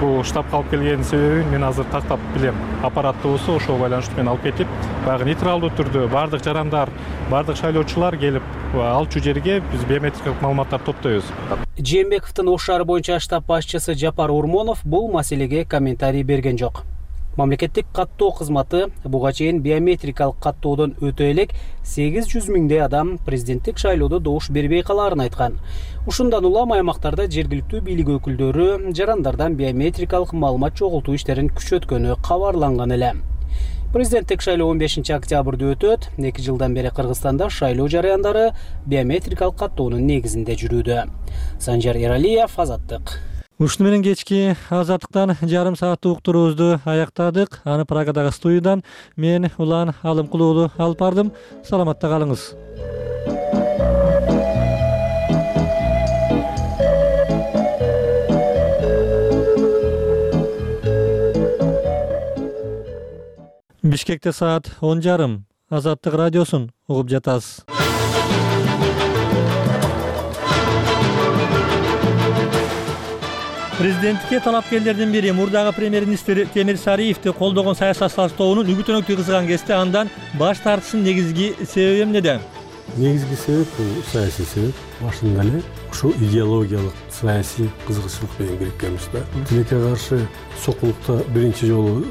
бул штабка алып келгенин себебин мен азыр тактап билем. Аппараттуусу ошого байланыштуу менен алып кетип, баягы нейтралдуу түрдө баардык жарандар, баардык шайлоочулар келип алчу жерге биз биометрикалык маалыматтарды топтойбуз. Жээнбековдун Ош шаары боюнча штаб башчысы Жапар Урмонов бул маселеге комментарий берген жок. Мамлекеттик каттоо кызматы буга чейин биометрикалык каттоодон өтө элек сегиз жүз миңдей адам президенттик шайлоодо добуш бербей калаарын айткан. Ушундан улам аймактарда жергиликтүү бийлик өкүлдөрү жарандардан биометрикалык маалымат чогултуу иштерин күчөткөнү кабарланган эле. Президенттик шайлоо он бешинчи октябрда өтөт. эки жылдан бери Кыргызстанда шайлоо жараяндары биометрикалык каттоонун негизинде жүрүүдө. Санжар Эралиев, Азаттык. Ушуну менен кечки Азаттыктан жарым сааттык уктуруубузду аяктадык. Аны Прагадагы студиядан мен Улан Алымкулуу уулу алып бардым. Саламатта калыңыз. Бишкекте саат он жарым. Азаттык радиосун угуп жатасыз. Президенттикке талапкерлердин бири мурдагы премьер-министр Темир Сариевди колдогон саясатчылардын үгүт-өнөктү кызган кезде андан баш тартышынын негизги себеби эмнеде? Негизги себеп бул саясий себеп. Башында эле ушул идеологиялык саясий кызыгычылык менен бириккенбиз да. Тилекке каршы сокулукта биринчи жолу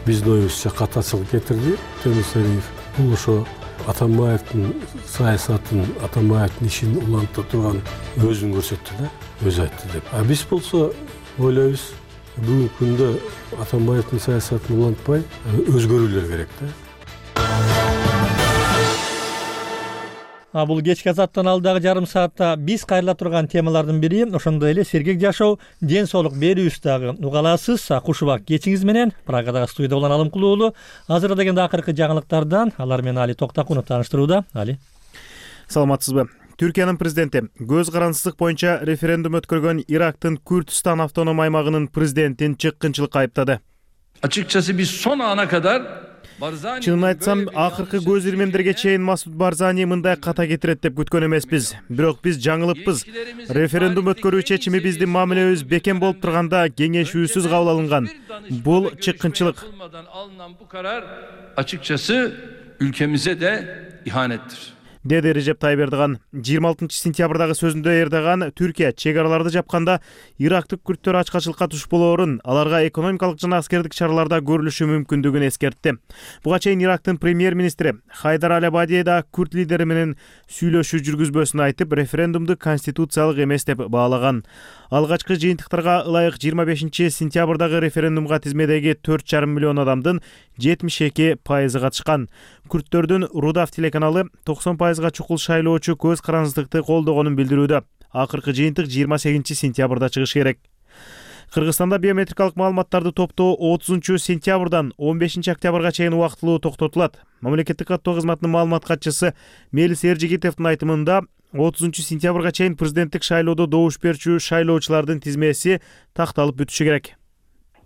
биздин оюбузча катачылык кетирди Темир Сариев. Бул ошо Атамбаевдин саясатын, Атамбаевдин ишин улантып турган өзүн көрсөттү да, өзү айтты деп. А биз болсо ойлойбуз, бүгүнкү күндө Атамбаевдин саясатын улантпай өзгөрүүлөр керек да. А бул кечки Азаттан алдагы жарым саатта биз кайрыла турган темалардын бири ошондой эле сергек жашоо, ден соолук берүүбүз дагы уга аласыз. Кушубак кечиңиз менен Прагадагы студияда Улан Алымкулуу уулу азыр дегенде акыркы жаңылыктардан алар менен Али Токтакунов тааныштырууда. Али. Саламатсызбы? Түркиянын президенти көз карансыздык боюнча референдум өткөргөн Ирактын Күрдистан автоном аймагынын президентин чыккынчылыкка айыптады. Açıkçası biz son ana kadar Чынын айтсам, акыркы көз ирмемдерге чейин Масуд Барзани мындай ката кетирет деп күткөн эмеспиз. Бирок биз жаңылыппыз. Референдум өткөрүү чечими биздин мамилебиз бекем болуп турганда кеңешүүсүз кабыл алынган. Бул чыккынчылык. Bu karar açıkçası ülkemize de ihanettir. Деди Режеп Тайып Эрдоган. жыйырма алтынчы сентябрдагы сөзүндө Эрдоган Түркия чек араларды жапканда ирактык күрттөр ачкачылыкка туш болоорун, аларга экономикалык жана аскердик чараларда көрүлүшү мүмкүндүгүн эскертти. Буга чейин Ирактын премьер-министри Хайдар Аль-Абади да күрт лидери менен сүйлөшүү жүргүзбөсүн айтып, референдумду конституциялык эмес деп баалаган. Алгачкы жыйынтыктарга ылайык жыйырма бешинчи сентябрдагы референдумга тизмедеги төрт жарым миллион адамдын жетимиш эки пайызы катышкан. Күрттөрдүн Рудав телеканалы токсон пайызга чукул шайлоочу көз карансыздыкты колдогонун билдирүүдө. Акыркы жыйынтык жыйырма сегизинчи сентябрда чыгышы керек. Кыргызстанда биометрикалык маалыматтарды топтоо отузунчу сентябрдан он бешинчи октябрга чейин убактылуу токтотулат. Мамлекеттик каттоо кызматынын маалымат катчысы Мелис Эржигитовдун айтымында отузунчу сентябрга чейин президенттик шайлоодо добуш берүүчү шайлоочулардын тизмеси такталып бүтүшү керек.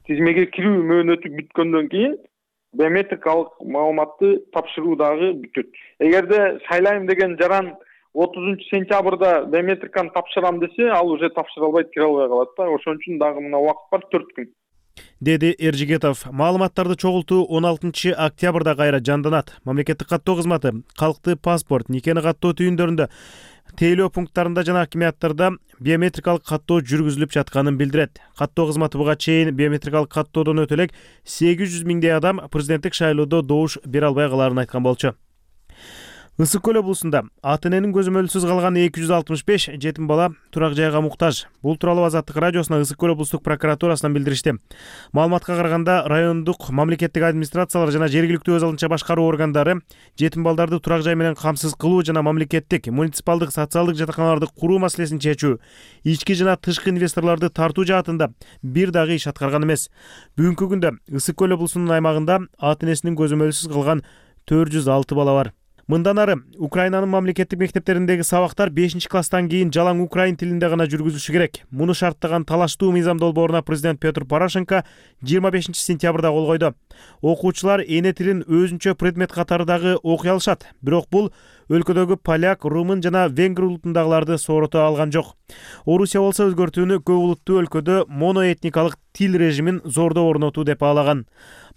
Тизмеге кирүү мөөнөтү бүткөндөн кийин биометрикалык маалыматты тапшыруу дагы бүтөт. Эгерде шайлайм деген жаран отузунчу сентябрда биометриканы тапшырам десе, ал уже тапшыра албайт, кире албай калат да. Ошон үчүн дагы мына убакыт бар, төрт күн. Деди Эржигетов. Маалыматтарды чогултуу он алтынчы октябрда кайра жанданат. Мамлекеттик каттоо кызматы калктык паспорт, никени каттоо түйүндөрүндө, тейлөө пункттарында жана акимияттарда биометрикалык каттоо жүргүзүлүп жатканын билдирет. Каттоо кызматы буга чейин биометрикалык каттоодон өтө элек сегиз жүз миңдей адам президенттик шайлоодо добуш бере албай калаарын айткан болчу. Ысык көл облусунда ата эненин көзөмөлсүз калган эки жүз алтымыш беш жетим бала турак жайга муктаж. Бул тууралуу Азаттык радиосуна Ысык көл облустук прокуратурасынан билдиришти. Маалыматка караганда, райондук мамлекеттик администрациялар жана жергиликтүү өз алынча башкаруу органдары жетим балдарды турак жай менен камсыз кылуу жана мамлекеттик, муниципалдык, социалдык жатаканаларды куруу маселесин чечүү, ички жана тышкы инвесторлорду тартуу жаатында бир дагы иш аткарган эмес. Бүгүнкү күндө Ысык көл облусунун аймагында ата энесинин көзөмөлсүз калган төрт жүз алты бала бар. Мындан ары Украинанын мамлекеттик мектептериндеги сабактар бешинчи класстан кийин жалаң украин тилинде гана жүргүзүлүшү керек. Муну шарттаган талаштуу мыйзам долбооруна президент Петр Порошенко жыйырма бешинчи сентябрда кол койду. Окуучулар эне тилин өзүнчө предмет катары дагы окуй алышат. Бирок бул өлкөдөгү поляк, румын жана венгр улутундагыларды соорото алган жок. Орусия болсо өзгөртүүнү көп улуттуу өлкөдө моноэтникалык тил режимин зордо орнотуу деп баалаган.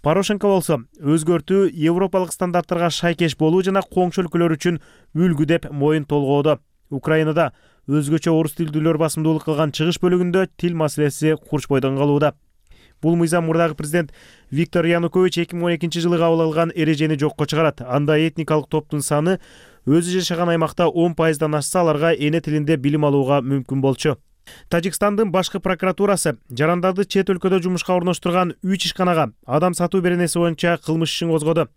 Порошенко болсо өзгөртүү европалык стандарттарга шайкеш болуу жана коңшу өлкөлөр үчүн үлгү деп моюн толгоодо. Украинада өзгөчө орус тилдүүлөр басымдуулук кылган чыгыш бөлүгүндө тил маселеси курч бойдон калууда. Бул мыйзам мурдагы президент Виктор Янукович эки миң он экинчи жылы кабыл алган эрежени жокко чыгарат. Анда этникалык топтун саны өзү жашаган аймакта он пайыздан ашса, аларга эне тилинде билим алууга мүмкүн болчу. Тажикстандын башкы прокуратурасы жарандарды чет өлкөдө жумушка орноштурган үч ишканага адам сатуу беренеси боюнча кылмыш ишин козгоду.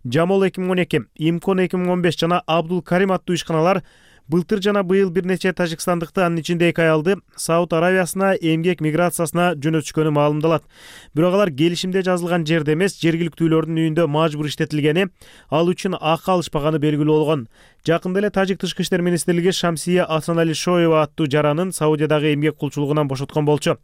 Жамол эки миң он эки, Имкон эки миң он беш жана Абдул Карим аттуу ишканалар былтыр жана быйыл бир нече тажикстандыкты, анын ичинде эки аялды Сауд Аравиясына эмгек миграциясына жөнөтүшкөнү маалымдалат. Бирок алар келишимде жазылган жерде эмес, жергиликтүүлөрдүн үйүндө мажбур иштетилгени, ал үчүн акы алышпаганы белгилүү болгон. Жакында эле Тажик тышкы иштер министрлиги Шамсия Асаналишоева аттуу жаранын Саудиядагы эмгек кулчулугунан бошоткон болчу.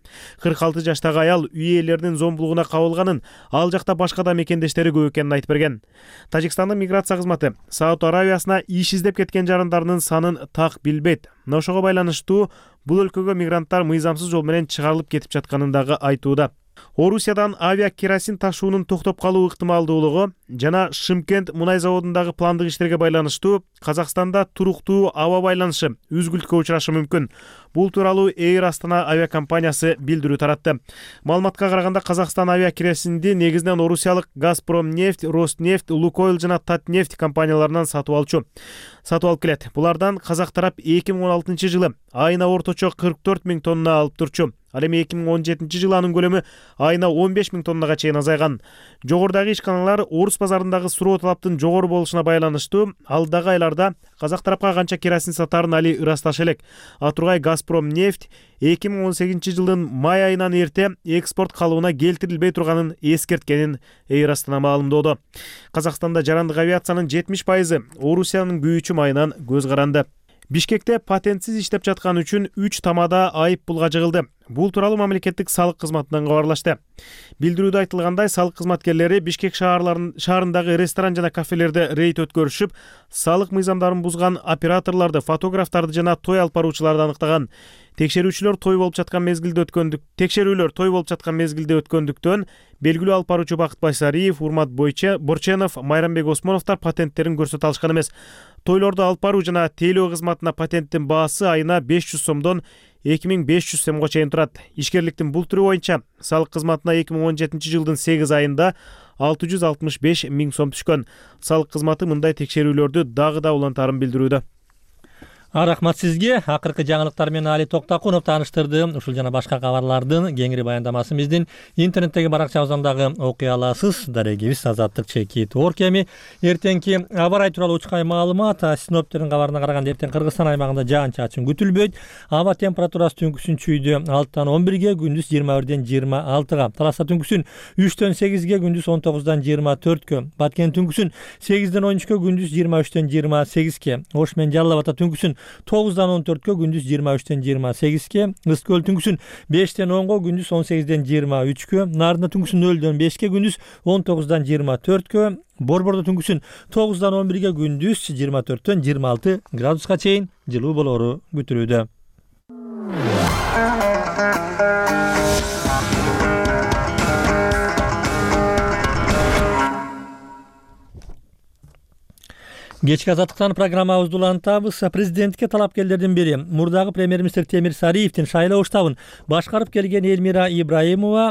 кырк алты жаштагы аял үй ээлеринин зомбулугуна кабылганын, ал жакта башка да мекендештери көп экенин айтып берген. Тажикстандын миграция кызматы Сауд Аравиясына иш издеп кеткен жарандарынын санын так билбейт. Ошого байланыштуу бул өлкөгө мигранттар мыйзамсыз жол менен чыгарылып кетип жатканын дагы айтууда. Орусиядан авиа керосин ташуунун токтоп калуу ыктымалдуулугу жана Шымкент мунай заводундагы пландык иштерге байланыштуу Казакстанда туруктуу аба байланышы үзгүлтүккө учурашы мүмкүн. Бул тууралуу Эйр Астана авиакомпаниясы билдирүү таратты. Маалыматка караганда Казакстан авиа керосинди негизинен орусиялык Газпромнефть, Роснефть, Лукойл жана Татнефть компанияларынан сатып алчу. Сатып алып келет. Булардан казак тарап эки миң он алтынчы жылы айына орточо кырк төрт миң тонна алып турчу. Ал эми эки миң он жетинчи жылы анын көлөмү айына он беш миң тоннага чейин азайган. Жогорудагы ишканалар орус базарындагы суроо талаптын жогору болушуна байланыштуу алдагы айларда казак тарапка канча керосин сатаарын али ырасташы элек. А тургай Газпромнефть эки миң он сегизинчи жылдын май айынан эрте экспорт калыбына келтирилбей турганын эскерткенин Эйр Астана маалымдоодо. Казакстанда жарандык авиациянын жетимиш пайызы Орусиянын күйүүчү майынан көз каранды. Бишкекте патентсиз иштеп жаткан үчүн үч тамада айып пулга жыгылды. Бул тууралуу мамлекеттик салык кызматынан кабарлашты. Билдирүүдө айтылгандай, салык кызматкерлери Бишкек шаарындагы ресторан жана кафелерде рейд өткөрүшүп, салык мыйзамдарын бузган операторлорду, фотографтарды жана той алып баруучуларды аныктаган. Текшерүүчүлөр той болуп жаткан мезгилде өткөндүк. Текшерүүлөр той болуп жаткан мезгилде өткөндүктөн белгилүү алып баруучу Бакыт Байсариев, Урмат Борченов, Майрамбек Осмоновдор патенттерин көрсөтө алышкан эмес. Тойлорду алып баруу жана тейлөө кызматына патенттин баасы айына беш жүз сомдон эки миң беш жүз сомго чейин турат. Ишкерликтин бул түрү боюнча салык кызматына эки миң он жетинчи жылдын сегиз айында алты жүз алтымыш беш миң сом түшкөн. Салык кызматы мындай текшерүүлөрдү дагы да улантаарын билдирүүдө. Рахмат сизге. Акыркы жаңылыктар менен Али Токтакунов тааныштырды. Ушул жана башка кабарлардын кеңири баяндамасын биздин интернеттеги баракчабыздан дагы окуй аласыз. Дарегибиз Азаттык Чекит Оркеми. Эртеңки аба ырайы тууралуу учкай маалымат. Синоптиктердин кабарына караганда эртең Кыргызстан аймагында жаан-чачын күтүлбөйт. Аба температурасы түнкүсүн чүйдө алтыдан он бирге, күндүз жыйырма бирден жыйырма алтыга. Таласта түнкүсүн үчтөн сегизге, күндүз он тогуздан жыйырма төрткө. Баткен түнкүсүн сегизден он үчкө, күндүз жыйырма үчтөн жыйырма сегизге. Ош менен Жалал Абад түнкүсүн тогуздан он төрткө, күндүз жыйырма үчтөн жыйырма сегизге. Ыс көл түнкүсүн бештен онго, күндүз он сегизден жыйырма үчкө. Нарында түнкүсүн нөлдөн бешке, күндүз он тогуздан жыйырма төрткө. Борбордо түнкүсүн тогуздан он бирге, күндүз жыйырма төрттөн жыйырма алты градуска чейин жылуу болору күтүлүүдө. Кечки азаттыктан программабызды улантабыз. Президентке талапкерлердин бири мурдагы премьер-министр Темир Сариевдин шайлоо штабын башкарып келген Элмира Ибраимова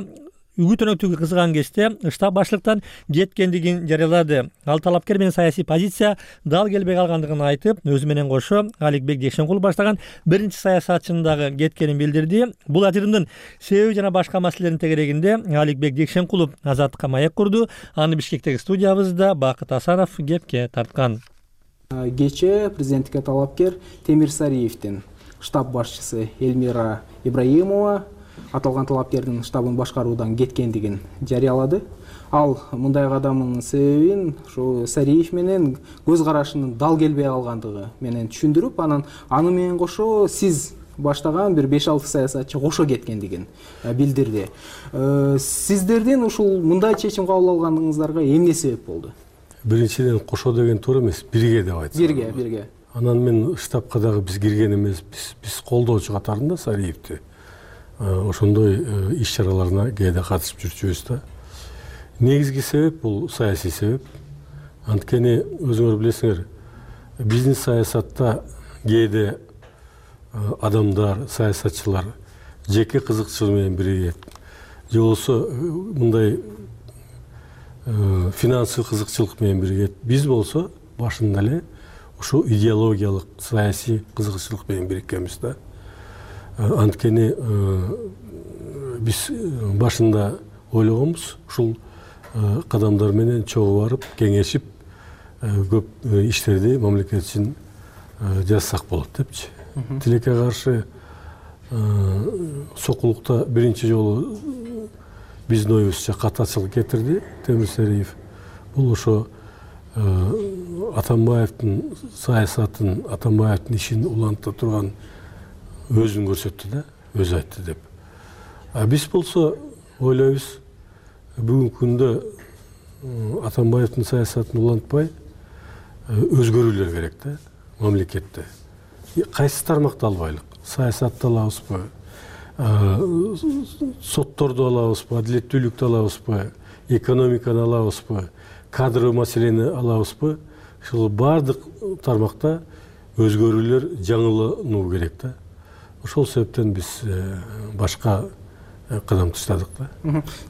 үгүт өнөктүгү кызган кезде штаб башлыктан кеткендигин жарыялады. Ал талапкер менен саясий позиция дал келбей калгандыгын айтып, өзү менен кошо Аликбек Декшенкулов баштаган биринчи саясатчынын дагы кеткенин билдирди. Бул ажырымдын себеби жана башка маселелердин тегерегинде Аликбек Декшенкулов Азаттыкка маек курду. Аны Бишкектеги студиябызда Бакыт Асанов кепке тарткан. Кечээ президенттикке талапкер Темир Сариевдин штаб башчысы Элмира Ибраимова аталган талапкердин штабын башкаруудан кеткендигин жарыялады. ал мындай кадамынын себебин ушу Сариев менен көз карашынын дал келбей калгандыгы менен түшүндүрүп, анан аны менен кошо сиз баштаган бир беш алты саясатчы кошо кеткендигин билдирди. Сиздердин ушул мындай чечим кабыл алганыңыздарга эмне себеп болду? Биринчиден кошо деген туура эмес, бирге деп айтсам. Бирге, бирге. Анан мен штабка дагы биз кирген эмес, биз биз колдоочу катарында Сариевди ошондой иш-чараларына кээде катышып жүрчүбүз да. Негизги себеп бул саясий себеп. Анткени өзүңөр билесиңер, биздин саясатта кээде адамдар, саясатчылар жеке кызыкчылыгы менен биригет, же болбосо мындай финансый кызыкчылык менен биригет. Биз болсо башында эле ушул идеологиялык, саясий кызыкчылык менен бириккенбиз да. Анткени биз башында ойлогонбуз, ушул кадамдар менен чогуу барып, кеңешип, көп иштерди мамлекет үчүн жазсак болот депчи. Тилекке каршы сокулукта биринчи жолу биздин оюбузча катачылык кетирди Темир Сариев. Бул ошо Атамбаевдин саясатын, Атамбаевдин ишин уланта турган өзүн көрсөттү да, өзү айтты деп. А биз болсо ойлойбуз, бүгүнкү күндө Атамбаевдин саясатын улантпай өзгөрүүлөр керек да мамлекетте. Кайсы тармакты албайлык? Саясатты алабызбы? Сотторду алабызбы? Адилеттүүлүктү алабызбы? Экономиканы алабызбы? Кадрлы маселени алабызбы? Ушул бардык тармакта өзгөрүүлөр, жаңылануу керек да. Ошол себептен биз башка кадам таштадык да.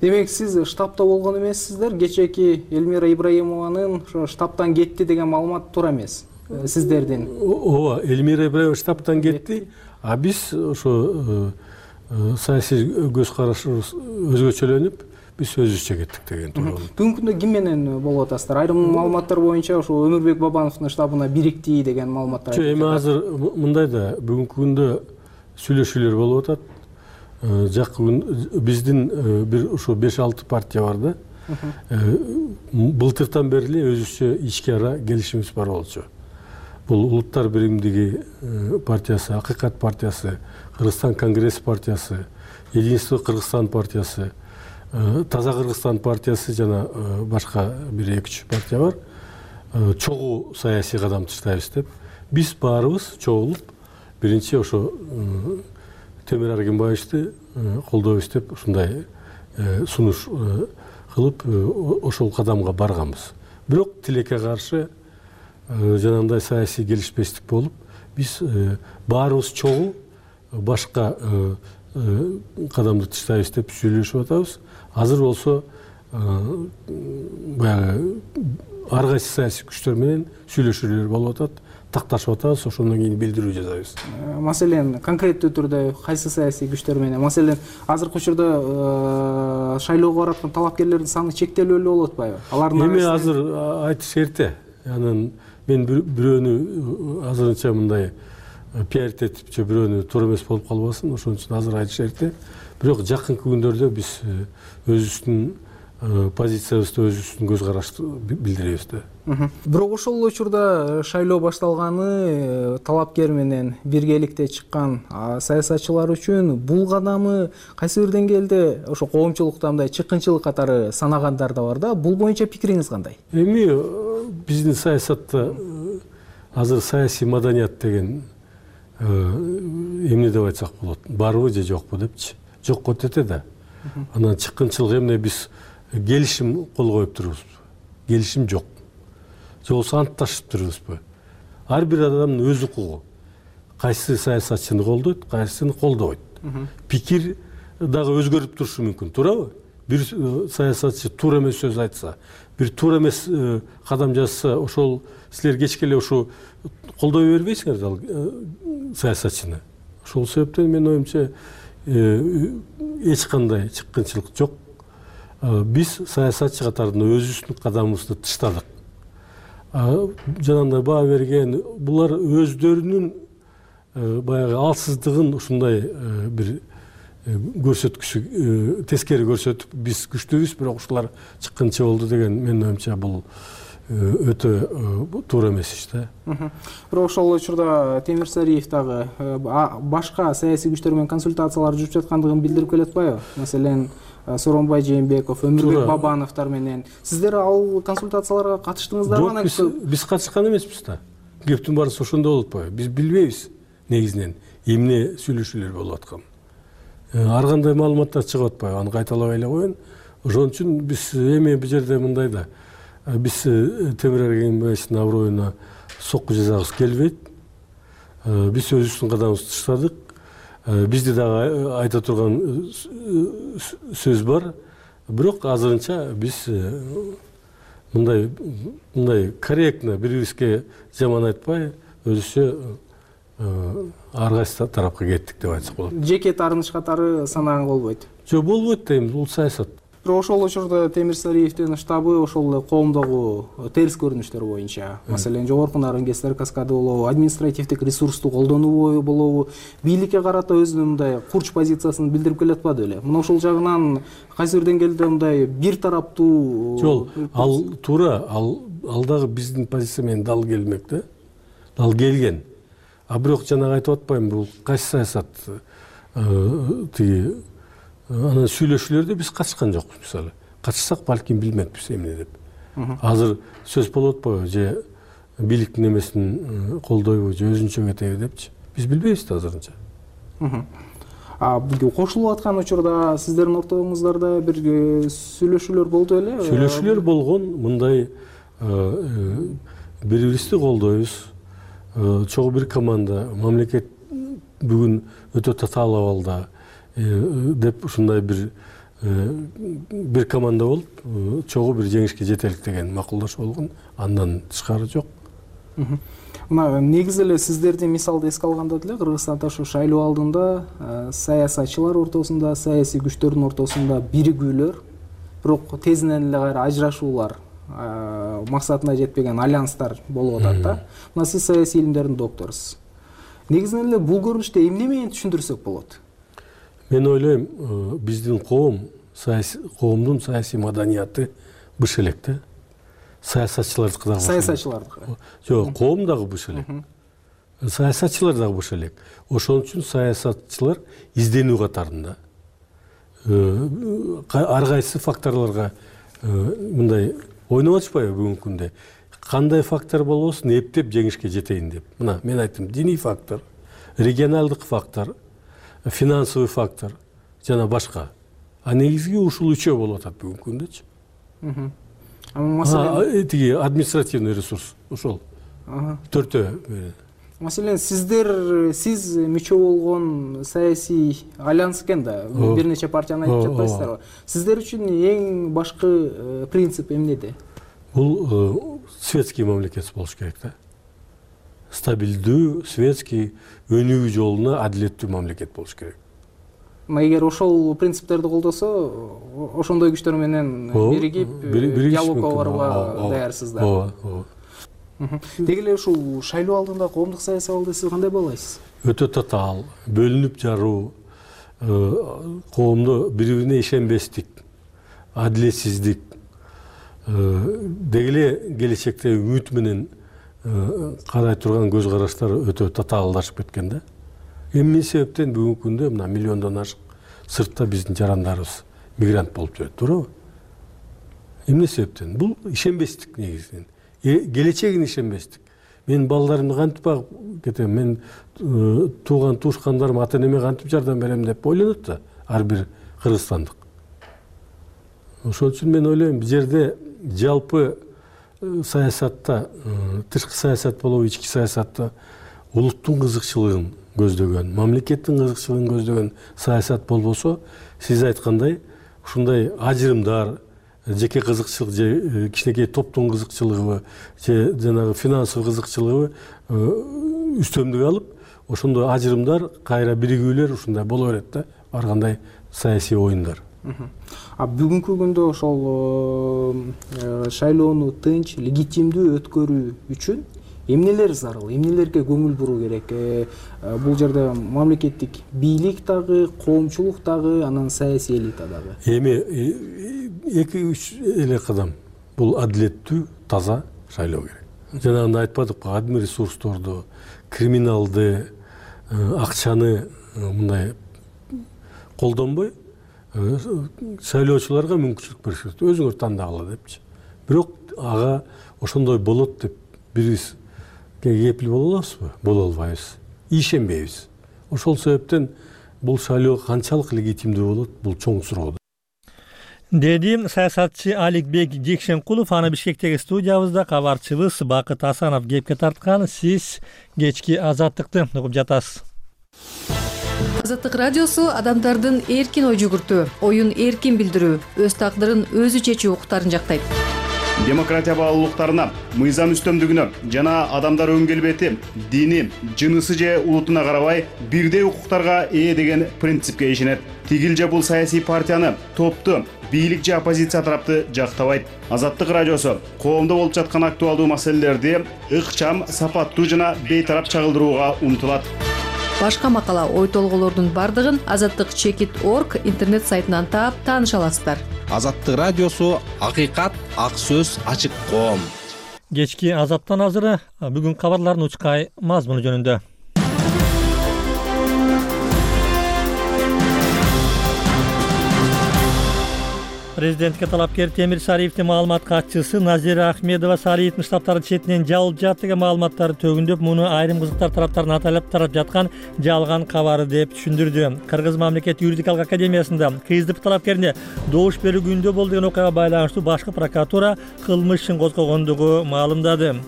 Демек, сиз штабта болгон эмессиздер. Кечээки Элмира Ибраимованын ошо штабтан кетти деген маалымат туура эмес. Сиздердин. Ооба, Элмира Ибраимова штабтан кетти, а биз ошо саясий көз карашыбыз өзгөчөлөнүп, биз өзүбүзчө кеттик деген туура. Бүгүнкү күндө ким менен болуп атасыздар? Айрым маалыматтар боюнча ошо Өмүрбек Бабановдун штабына бирикти деген маалыматтар. Жок, эми азыр мындай да, бүгүнкү күндө сүйлөшүүлөр болуп атат. Жакын күн биздин бир ошо беш алты партия бар да. Былтыртан бери эле өзүбүзчө ички ара келишимибиз бар болчу. Бул Улуттар биримдиги партиясы, Акыйкат партиясы, Кыргызстан Конгресс партиясы, Единство Кыргызстан партиясы, Таза Кыргызстан партиясы жана башка бир эки үч партия бар. Чогуу саясий кадам таштайбыз деп. Биз баарыбыз чогулуп, биринчи ошо Темир Аргенбаевичти колдойбуз деп ушундай сунуш кылып ошол кадамга барганбыз. Бирок тилекке каршы жанагындай саясий келишпестик болуп, биз баарыбыз чогуу башка кадамды таштайбыз деп сүйлөшүп атабыз. Азыр болсо баягы ар кайсы саясий күчтөр менен сүйлөшүүлөр болуп атат, такташып атабыз, ошондон кийин билдирүү жасайбыз. Маселен, конкреттүү түрдө кайсы саясий күчтөр менен? Маселен, азыркы учурда шайлоого бараткан талапкерлердин саны чектелүү эле болуп атпайбы? Алардын эми азыр айтыш эрте. Анан мен бирөөнү азырынча мындай пиарить этип же бирөөнү туура эмес болуп калбасын, ошон үчүн азыр айтыш эрте. Бирок жакынкы күндөрдө биз өзүбүздүн позициябызды, өзүбүздүн көз карашты билдиребиз да. Бирок ошол учурда шайлоо башталганы талапкер менен биргеликте чыккан саясатчылар үчүн бул кадамы кайсы бир деңгээлде ошо коомчулукта мындай чыккынчылык катары санагандар да бар да. Бул боюнча пикириңиз кандай? Эми биздин саясатта азыр саясий маданият деген эмне деп айтсак болот? Барбы же жокпу депчи? Жокко тете да. Анан чыккынчылык эмне, биз келишим кол коюп турбузбу? Келишим жок. Же болбосо антташып турбузбу? Ар бир адамдын өз укугу. Кайсы саясатчыны колдойт, кайсыны колдобойт. Пикир дагы өзгөрүп турушу мүмкүн, туурабы? Бир саясатчы туура эмес сөз айтса, бир туура эмес кадам жасаса, ошол силер кечке эле ушу колдой бербейсиңер да саясатчыны. Ошол себептен менин оюмча эч кандай чыккынчылык жок. Биз саясатчы катарында өзүбүздүн кадамыбызды таштадык. Жанагындай баа берген, булар өздөрүнүн баягы алсыздыгын ушундай бир көрсөткүчү тескери көрсөтүп биз күчтүүбүз, бирок ушулар чыккынча болду деген менин оюмча бул өтө туура эмес иш да. Бирок ошол учурда Темирсариев дагы башка саясий күчтөр менен консультациялар жүрүп жаткандыгын билдирип келатпайбы? Маселен, Сооронбай Жээнбеков, Өмүрбек Бабановдор менен сиздер ал консультацияларга катыштыңыздарбы? Жок, биз катышкан эмеспиз да. Кептин баарысы ошондо болуп атпайбы? Биз билбейбиз негизинен эмне сүйлөшүүлөр болуп атканын. Ар кандай маалыматтар чыгып атпайбы? Аны кайталабай эле коеюн. Ошон үчүн биз эми бул жерде мындай да, биз Темир Эргенбаевдин аброюна сокку жасагыбыз келбейт. Биз өзүбүздүн кадамыбызды таштадык. Бизде дагы айта турган сөз бар. Бирок азырынча биз мындай мындай корректно бири-бирибизге жаман айтпай, өзүчө ар кайсы тарапка кеттик деп айтсак болот. Жеке таарыныш катары санагаң болбойт. Жок, болбойт дейм, бул саясат. Бирок ошол учурда Темирсариевдин штабы ошол эле коомдогу терс көрүнүштөр боюнча, маселен, жогорку Нарынгездер каскады болобу, административдик ресурсту колдонуу болобу, бийликке карата өзүнүн мындай курч позициясын билдирип келатпады беле? Мына ошол жагынан кайсы бир деңгээлде мындай бир тараптуу. Жок, ал туура, ал ал дагы биздин позиция менен дал келмек да. Дал келген. А бирок жанагы айтып атпаймынбы, бул кайсы саясат тиги анан сүйлөшүүлөрдө биз катышкан жокпуз. Мисалы, катышсак балким билмекпиз эмне деп. Азыр сөз болуп атпайбы, же бийликтин эмесин колдойбу, же өзүнчө кетеби депчи. Биз билбейбиз да азырынча. А кошулуп аткан учурда сиздердин ортоңуздарда бир сүйлөшүүлөр болду эле? Сүйлөшүүлөр болгон, мындай бири-бирибизди колдойбуз. Чогуу бир команда, мамлекет бүгүн өтө татаал абалда деп ушундай бир бир команда болуп, чогуу бир жеңишке жетелик деген макулдашуу болгон. Андан тышкары жок. Мына негизи эле сиздердин мисалды эске алганда деле Кыргызстанда ушу шайлоо алдында саясатчылар ортосунда, саясий күчтөрдүн ортосунда биригүүлөр, бирок тезинен эле кайра ажырашуулар, максатына жетпеген альянстар болуп атат да. Мына сиз саясий илимдердин докторусуз. Негизинен эле бул көрүнүштү эмне менен түшүндүрсөк болот? Мен ойлойм, биздин коом, коомдун саясий маданияты быш элек да. Саясатчылардыкы дагы. Саясатчылардыкы. Жок, коом дагы быш элек. Саясатчылар дагы быш элек. Ошон үчүн саясатчылар изденүү катарында. Ар кайсы факторлорго мындай ойноп атышпайбы бүгүнкү күндө? Кандай фактор болбосун эптеп жеңишке жетейин деп. Мына мен айттым, диний фактор, регионалдык фактор, финансовый фактор жана башка. А негизги ушул үчөө болуп атат бүгүнкү күндөчү. Маселен, тиги административный ресурс ошол. Төртөө. Маселен, сиздер сиз мүчө болгон саясий альянс экен да, бир нече партияны айтып жатпайсыздарбы? Сиздер үчүн эң башкы принцип эмнеде? Бул светский мамлекет болуш керек да. Стабилдүү, светский, өнүгүү жолуна адилеттүү мамлекет болуш керек. Эгер ошол принциптерди колдосо, ошондой күчтөр менен биригип диалогго барууга даярсыздар. Ооба. Деги эле ушул шайлоо алдында коомдук саясий абалды сиз кандай баалайсыз? Өтө татаал, бөлүнүп жаруу, коомдо бири-бирине ишенбестик, адилетсиздик, деги эле келечекте үмүт менен карай турган көз караштар өтө татаалдашып кеткен да. Эмне себептен бүгүнкү күндө мына миллиондон ашык сыртта биздин жарандарыбыз мигрант болуп жүрөт, туурабы? Эмне себептен? Бул ишенбестик негизинен. Келечегине ишенбестик. Мен балдарымды кантип багып кетем, мен тууган туушкандарым ата-энеме кантип жардам берем деп ойлонот да ар бир кыргызстандык. Ошон үчүн мен ойлойм, бул жерде жалпы саясатта, тышкы саясат болобу, ички саясатта улуттун кызыкчылыгын көздөгөн, мамлекеттин кызыкчылыгын көздөгөн саясат болбосо, сиз айткандай, ушундай ажырымдар, жеке кызыкчылык же кичинекей топтун кызыкчылыгы же жанагы финансовый кызыкчылыгы үстөмдүк алып, ошондой ажырымдар, кайра биригүүлөр ушундай боло берет да, ар кандай саясий оюндар. А бүгүнкү күндө ошол шайлоону тынч, легитимдүү өткөрүү үчүн эмнелер зарыл, эмнелерге көңүл буруу керек? Бул жерде мамлекеттик бийлик дагы, коомчулук дагы, анан саясий элита дагы. Эми эки үч эле кадам. Бул адилеттүү, таза шайлоо керек. Жанагындай айтпадыкпы, адми ресурсторду, криминалды, акчаны мындай колдонбой шайлоочуларга мүмкүнчүлүк бериш керек. Өзүңөр тандагыла депчи. Бирок ага ошондой болот деп бирибиз кепил боло алабызбы? Боло албайбыз. Ишенбейбиз. Ошол себептен бул шайлоо канчалык легитимдүү болот, бул чоң суроо. Деди саясатчы Аликбек Жекшенкулов. Аны Бишкектеги студиябызда кабарчыбыз Бакыт Асанов кепке тарткан. Сиз кечки Азаттыкты угуп жатасыз. Азаттык радиосу адамдардын эркин ой жүгүртүү, оюн эркин билдирүү, өз тагдырын өзү чечүү укуктарын жактайт. Демократия баалуулуктарына, мыйзам үстөмдүгүнө жана адамдар өң келбети, дини, жынысы же улутуна карабай бирдей укуктарга ээ деген принципке ишенет. Тигил же бул саясий партияны, топту, бийлик же оппозиция тарапты жактабайт. Азаттык радиосу коомдо болуп жаткан актуалдуу маселелерди ыкчам, сапаттуу жана бейтарап чагылдырууга умтулат. Башка макала, ой толгоолордун бардыгын азаттык чекит точка орг интернет сайтынан таап тааныша аласыздар. Азаттык радиосу акыйкат, ак сөз, ачык коом. Кечки Азаттан азыры бүгүн кабарлардын учкай мазмуну жөнүндө. Президентке талапкер Темир Сариевдин маалымат катчысы Назира Ахмедова Сариевдин штабтары четинен жалып жатты деген маалыматтарды төгүндөп, муну айрым кызыктар тараптарын аталып тарап жаткан жалган кабары деп түшүндүрдү. Кыргыз мамлекет юридикалык академиясында КСДП талапкерине добуш берүү күндө болду деген окуяга байланыштуу башкы прокуратура кылмыш ишин козгогондугу маалымдады.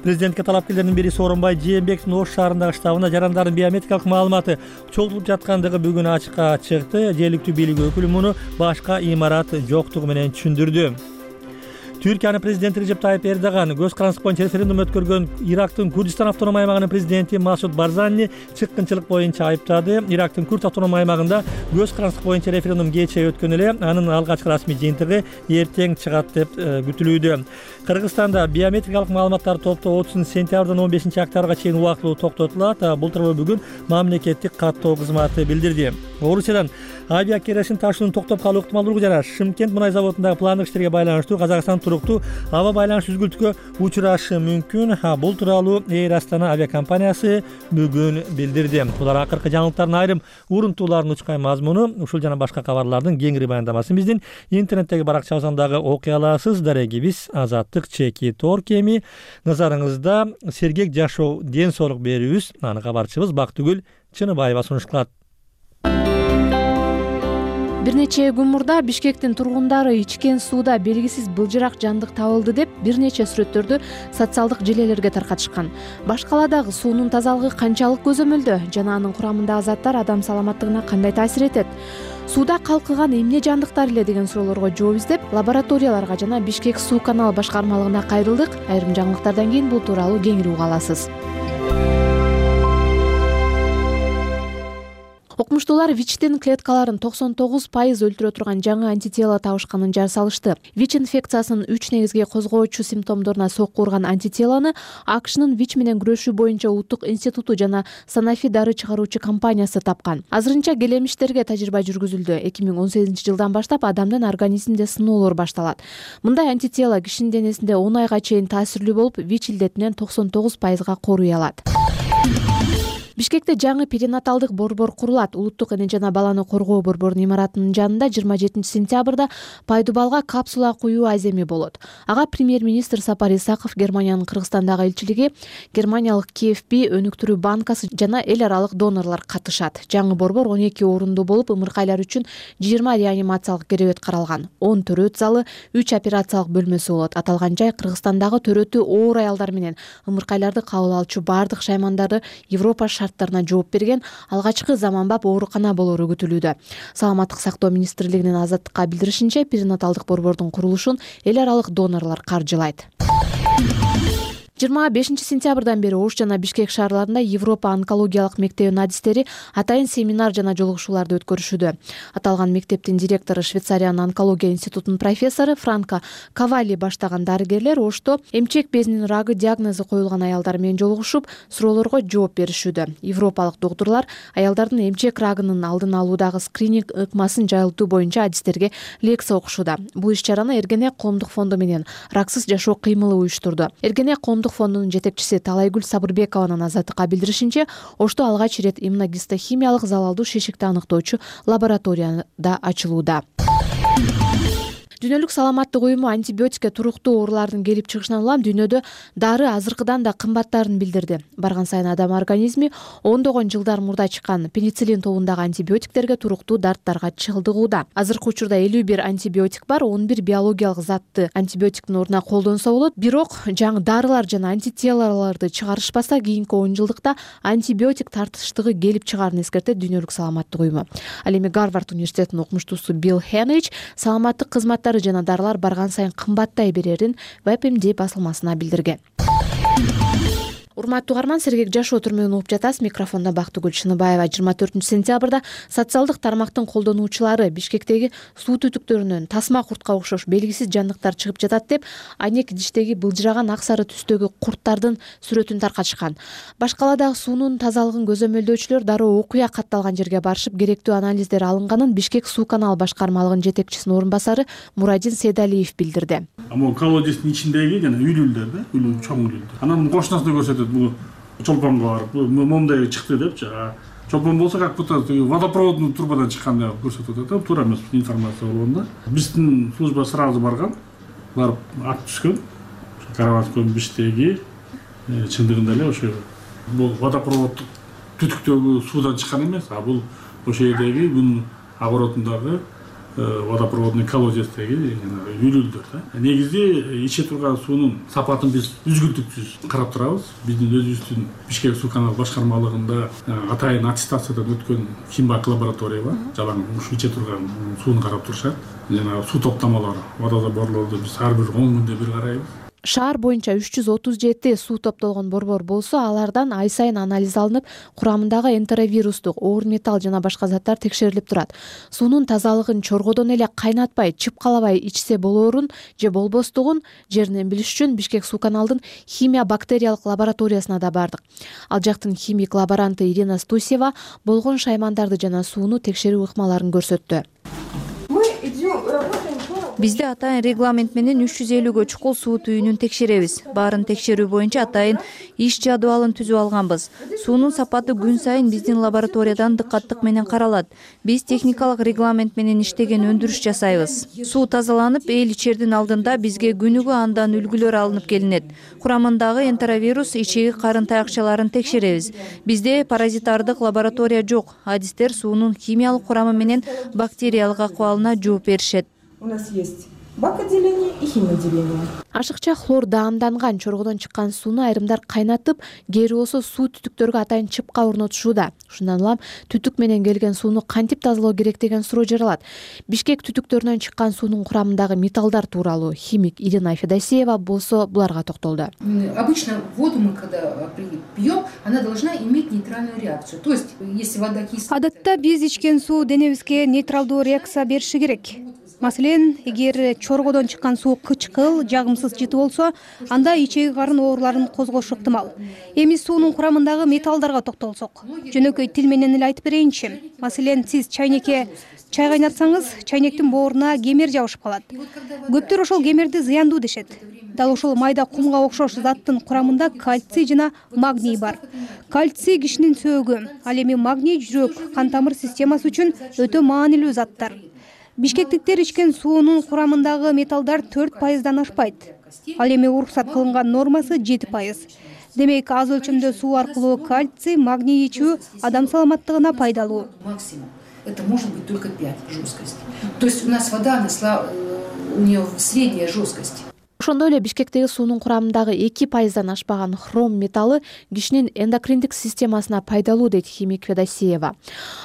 Президентке талапкерлердин бири Сооронбай Жээнбековдун Ош шаарындагы штабына жарандардын биометрикалык маалыматы чогултулуп жаткандыгы бүгүн ачыкка чыкты. Жергиликтүү бийлик өкүлү муну башка имарат жоктугу менен түшүндүрдү. Түркиянын президенти Режеп Тайып Эрдоган көз карандысы боюнча референдум өткөргөн Ирактын Курдистан автоном аймагынын президенти Масуд Барзани чыккынчылык боюнча айыптады. Ирактын Курд автоном аймагында көз карандысы боюнча референдум кечээ өткөн эле, анын алгачкы расмий жыйынтыгы эртең чыгат деп күтүлүүдө. Кыргызстанда биометрикалык маалыматтарды топтоо отузунчу сентябрдан он бешинчи октябрга чейин убактылуу токтотулат. Бул тууралуу бүгүн мамлекеттик каттоо кызматы билдирди. Орусиядан авиа керосин ташуунун токтоп калуу ыктымалдуулугу жана Шымкент мунай заводундагы пландык иштерге байланыштуу Казакстан туруктуу аба байланыш үзгүлтүккө учурашы мүмкүн. Бул тууралуу Эйр Астана авиакомпаниясы бүгүн билдирди. Булар акыркы жаңылыктардын айрым урунтууларынын учкай мазмуну. Ушул жана башка кабарлардын кеңири баяндамасын биздин интернеттеги баракчабыздан дагы окуй аласыз. Дарегибиз Азаттык чекит точка орг эми назарыңызда сергек жашоо ден соолук берүүбүз. Аны кабарчыбыз Бактыгүл Чыныбаева сунуш кылат. Бир нече күн мурда Бишкектин тургундары ичкен сууда белгисиз былжырак жандык табылды деп бир нече сүрөттөрдү социалдык желелерге таркатышкан. Башкаладагы суунун тазалыгы канчалык көзөмөлдө жана анын курамындагы заттар адам саламаттыгына кандай таасир этет? Сууда калкыган эмне жандыктар эле деген суроолорго жооп издеп, лабораторияларга жана Бишкек суу канал башкармалыгына кайрылдык. Айрым жаңылыктардан кийин бул тууралуу кеңири уга аласыз. Окумуштуулар ВИЧтин клеткаларын токсон тогуз пайыз өлтүрө турган жаңы антитело табышканын жар салышты. ВИЧ инфекциясынын үч негизги козгоочу симптомдоруна сокку урган антителону АКШнын ВИЧ менен күрөшүү боюнча улуттук институту жана Sanofi дары чыгаруучу компаниясы тапкан. Азырынча келемиштерге тажрыйба жүргүзүлдү. эки миң он сегизинчи жылдан баштап адамдын организминде сыноолор башталат. Мындай антитело кишинин денесинде он айга чейин таасирлүү болуп, ВИЧ илдетинен токсон тогуз пайызга коруй алат. Бишкекте жаңы перинаталдык борбор курулат. Улуттук эне жана баланы коргоо борборунун имаратынын жанында жыйырма жетинчи сентябрда пайдубалга капсула куюу аземи болот. Ага премьер-министр Сапар Исаков, Германиянын Кыргызстандагы элчилиги, германиялык КФБ өнүктүрүү банкасы жана эл аралык донорлор катышат. Жаңы борбор он эки орундуу болуп, ымыркайлар үчүн жыйырма реанимациялык керебет каралган. он төрөт залы, үч операциялык бөлмөсү болот. Аталган жай Кыргызстандагы төрөтү оор аялдар менен ымыркайларды кабыл алчу бардык шаймандарды Европа тарына жооп берген алгачкы заманбап оорукана болору күтүлүүдө. Саламаттык сактоо министрлигинин Азаттыкка билдиришинче, перинаталдык борбордун курулушун эл аралык донорлор каржылайт. жыйырма бешинчи сентябрдан бери Ош жана Бишкек шаарларында Европа онкологиялык мектебинин адистери атайын семинар жана жолугушууларды өткөрүшүүдө. Аталган мектептин директору Швейцариянын онкология институтунун профессору Франко Кавали баштаган дарыгерлер Ошто эмчек безинин рагы диагнозу коюлган аялдар менен жолугушуп, суроолорго жооп беришүүдө. Европалык доктурлар аялдардын эмчек рагынын алдын алуудагы скрининг ыкмасын жайылтуу боюнча адистерге лекция окушууда. Бул иш-чараны Эргене коомдук фонду менен Раксыз жашоо кыймылы уюштурду. Эргене коомдук фондунун жетекчиси Талайгүл Сабырбекованын Азаттыкка билдиришинче, Ошто алгач ирет иммуногистохимиялык залалдуу шишикти аныктоочу лабораторияда ачылууда. Дүйнөлүк саламаттык уюму антибиотикке туруктуу оорулардын келип чыгышынан улам дүйнөдө дары азыркыдан да кымбаттаарын билдирди. Барган сайын адам организми ондогон жылдар мурда чыккан пенициллин тобундагы антибиотиктерге туруктуу дарттарга чылдыгууда. Азыркы учурда элүү бир антибиотик бар, он бир биологиялык затты антибиотиктин ордуна колдонсо болот. Бирок жаңы дарылар жана антителаларды чыгарышпаса, кийинки он жылдыкта антибиотик тартыштыгы келип чыгаарын эскертет Дүйнөлүк саламаттык уюму. Ал эми Гарвард университетинин окумуштуусу Билл Хенрич саламаттык кызматтар жана дарылар барган сайын кымбаттай берерин веб эм ди басылмасына билдирген. Урматтуу угарман, сергек жашоо түрмөгүн угуп жатасыз. Микрофондо Бактыгүл Шыныбаева. жыйырма төртүнчү сентябрда социалдык тармактын колдонуучулары Бишкектеги суу түтүктөрүнөн тасма куртка окшош белгисиз жандыктар чыгып жатат деп айнек идиштеги былжыраган ак сары түстөгү курттардын сүрөтүн таркатышкан. Башкаладагы суунун тазалыгын көзөмөлдөөчүлөр дароо окуя катталган жерге барышып, керектүү анализдер алынганын Бишкек суу канал башкармалыгынын жетекчисинин орун басары Мурадин Седалиев билдирди. Ама колодецтин ичиндеги жана үйлүлдөр да, үйлүү чоң үйлүлдөр. Анан кошунасына көрсөтөт, бул чолпонго барып, момундай чыкты депчи. Чолпон болсо как будто водопроводный трубадан чыккан деп көрсөтөт да, туура эмес информация болгондо. Биздин служба сразу барган, барып ат түшкөн. Караваткон биштеги чындыгында эле ошо бул водопровод түтүктөгү суудан чыккан эмес, а бул ошо жердеги бунун оборотундагы водопроводный колодецтеги үйлүлдөр да. Негизи иче турган суунун сапатын биз үзгүлтүксүз карап турабыз. Биздин өзүбүздүн Бишкек суу канал башкармалыгында атайын аттестациядан өткөн химбак лаборатория бар. Жалаң ушу иче турган сууну карап турушат. Жана суу топтомолору, водозаборлорду биз ар бир он күндө бир карайбыз. Шаар боюнча үч жүз отуз жети суу топтолгон борбор болсо, алардан ай сайын анализ алынып, курамындагы энтеровирустук, оор металл жана башка заттар текшерилип турат. Суунун тазалыгын чоргодон эле кайнатпай, чыпкалабай ичсе болоорун же болбостугун жеринен билиш үчүн Бишкек суу каналдын химия бактериялык лабораториясына да бардык. Ал жактын химик лаборанты Ирина Стусева болгон шаймандарды жана сууну текшерүү ыкмаларын көрсөттү. Бизде атайын регламент менен үч жүз элүүгө чукул суу түйүнүн текшеребиз. Баарын текшерүү боюнча атайын иш жадыбалын түзүп алганбыз. Суунун сапаты күн сайын биздин лабораториядан дыккаттык менен каралат. Биз техникалык регламент менен иштеген өндүрүш жасайбыз. Суу тазаланып, эл ичердин алдында бизге күнүгө андан үлгүлөр алынып келинет. Курамындагы энтеровирус, ичеги карын таякчаларын текшеребиз. Бизде паразитардык лаборатория жок. Адистер суунун химиялык курамы менен бактериялык акыбалына жооп беришет. У нас есть бак-отделение и химотделение. Ашыкча хлор даамданган чоргодон чыккан сууну айрымдар кайнатып, кээри болсо суу түтүктөргө атайын чыпка орнотушууда. Ушундан улам түтүк менен келген сууну кантип тазалоо керек деген суроо жаралат. Бишкек түтүктөрүнөн чыккан суунун курамындагы металлдар тууралуу химик Ирина Федосеева болсо буларга токтолду. Обычно воду мы когда пьем, она должна иметь нейтральную реакцию. То есть, если вода кислая... Адатта биз ичкен суу денебизге нейтралдуу реакция бериши керек. Маселен, эгер чоргодон чыккан суу кычкыл, жагымсыз жыты болсо, анда ичеги карын ооруларын козгошу ыктымал. Эми суунун курамындагы металлдарга токтолсок, жөнөкөй тил менен эле айтып берейинчи. Маселен, сиз чайнекке чай кайнатсаңыз, чайнектин бооруна кемер жабышып калат. Көптөр ошол кемерди зыяндуу дешет. Дал ошол майда кумга окшош заттын курамында кальций жана магний бар. Кальций кишинин сөөгү, ал эми магний жүрөк, кан тамыр системасы үчүн өтө маанилүү заттар. Бишкектиктер ичкен суунун курамындагы металлдар төрт пайыздан ашпайт. Ал эми уруксат кылынган нормасы жети пайыз. Демек, аз өлчөмдө суу аркылуу кальций, магний ичүү адам саламаттыгына пайдалуу. Максимум. Это может быть только пять жесткости. То есть у нас вода, она, у нее средняя жесткость. Ошондой эле Бишкектеги суунун курамындагы эки пайыздан ашпаган хром металлы кишинин эндокриндик системасына пайдалуу, дейт химик Федосеева.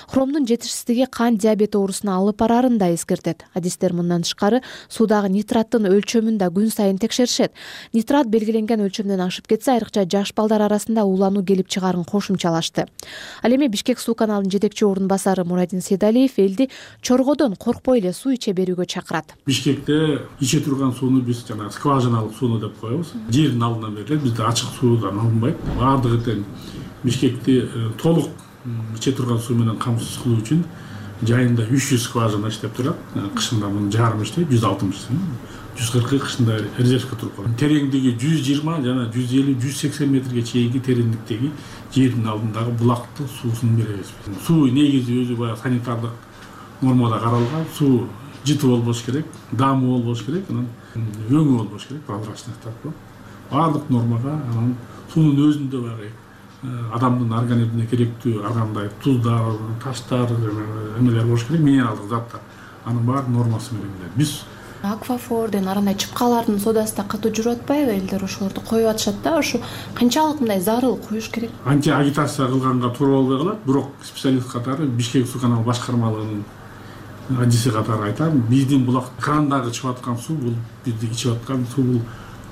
Хромдун жетишсиздиги кант диабети оорусуна алып барарын да эскертет. Адистер мындан тышкары суудагы нитраттын өлчөмүн да күн сайын текшеришет. Нитрат белгиленген өлчөмдөн ашып кетсе, айрыкча жаш балдар арасында уулануу келип чыгаарын кошумчалашты. Ал эми Бишкек суу каналынын жетекчи орун басары Мурадин Сейдалиев элди чоргодон коркпой эле суу иче берүүгө чакырат. Бишкекте иче турган сууну биз жана скважиналык сууну деп коебуз. Жердин алдынан берилет. Бизде ачык суудан алынбайт. Баардыгы тең Бишкекти толук иче турган суу менен камсыз кылуу үчүн жайында үч жүз скважина иштеп турат. Кышында мунун жарымы иштейт, жүз алтымыш. жүз кыркы кышында резервке туруп калат. Тереңдиги жүз жыйырма жана жүз элүү жүз сексен метрге чейинки тереңдиктеги жердин алдындагы булактын суусун беребиз. Суу негизи өзү баягы санитардык нормада каралган. Суу жыты болбош керек, дамы болбош керек, анан өңү болбош керек, прозрачность деп. Баардык нормага анан суунун өзүндө баягы адамдын организмине керектүү ар кандай туздар, таштар, эмелер болуш керек, минералдык заттар. Анын баары нормасы менен. Биз Аквафорден арандай чыпкалардын содасы да катуу жүрүп атпайбы? Элдер ошолорду коюп атышат да. Ошо канчалык мындай зарыл коюш керек? Анча агитация кылганга туура болбой калат, бирок специалист катары Бишкек суу каналы башкармалыгынын адиси катары айтам, биздин булак крандагы чыгып аткан суу бул бизди ичип аткан суу, бул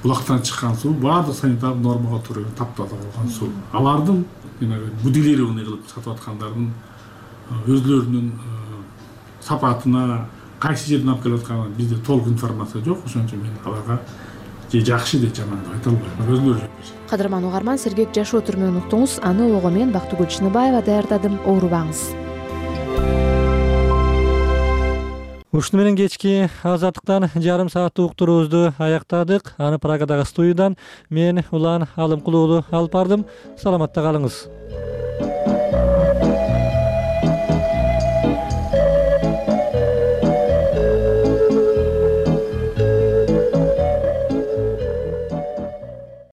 булактан чыккан суу баардык санитардык нормага туура таптаза болгон суу. Алардын будилированный кылып сатып аткандардын өзлөрүнүн сапатына, кайсы жерден алып келип атканын бизде толук информация жок. Ошон үчүн мен аларга же жакшы же жаман деп айта албайм. Өзүлөрү жок. Кадырман угарман, сергек жашоо түрмөгүн уктуңуз. Аны ого мен Бактыгүл Чыныбаева даярдадым. Оорубаңыз. Ушуну менен кечки азаттыктан жарым сааттык уктуруубузду аяктадык. Аны Прагадагы студиядан мен Улан Алымкулуу алып бардым. Саламатта калыңыз.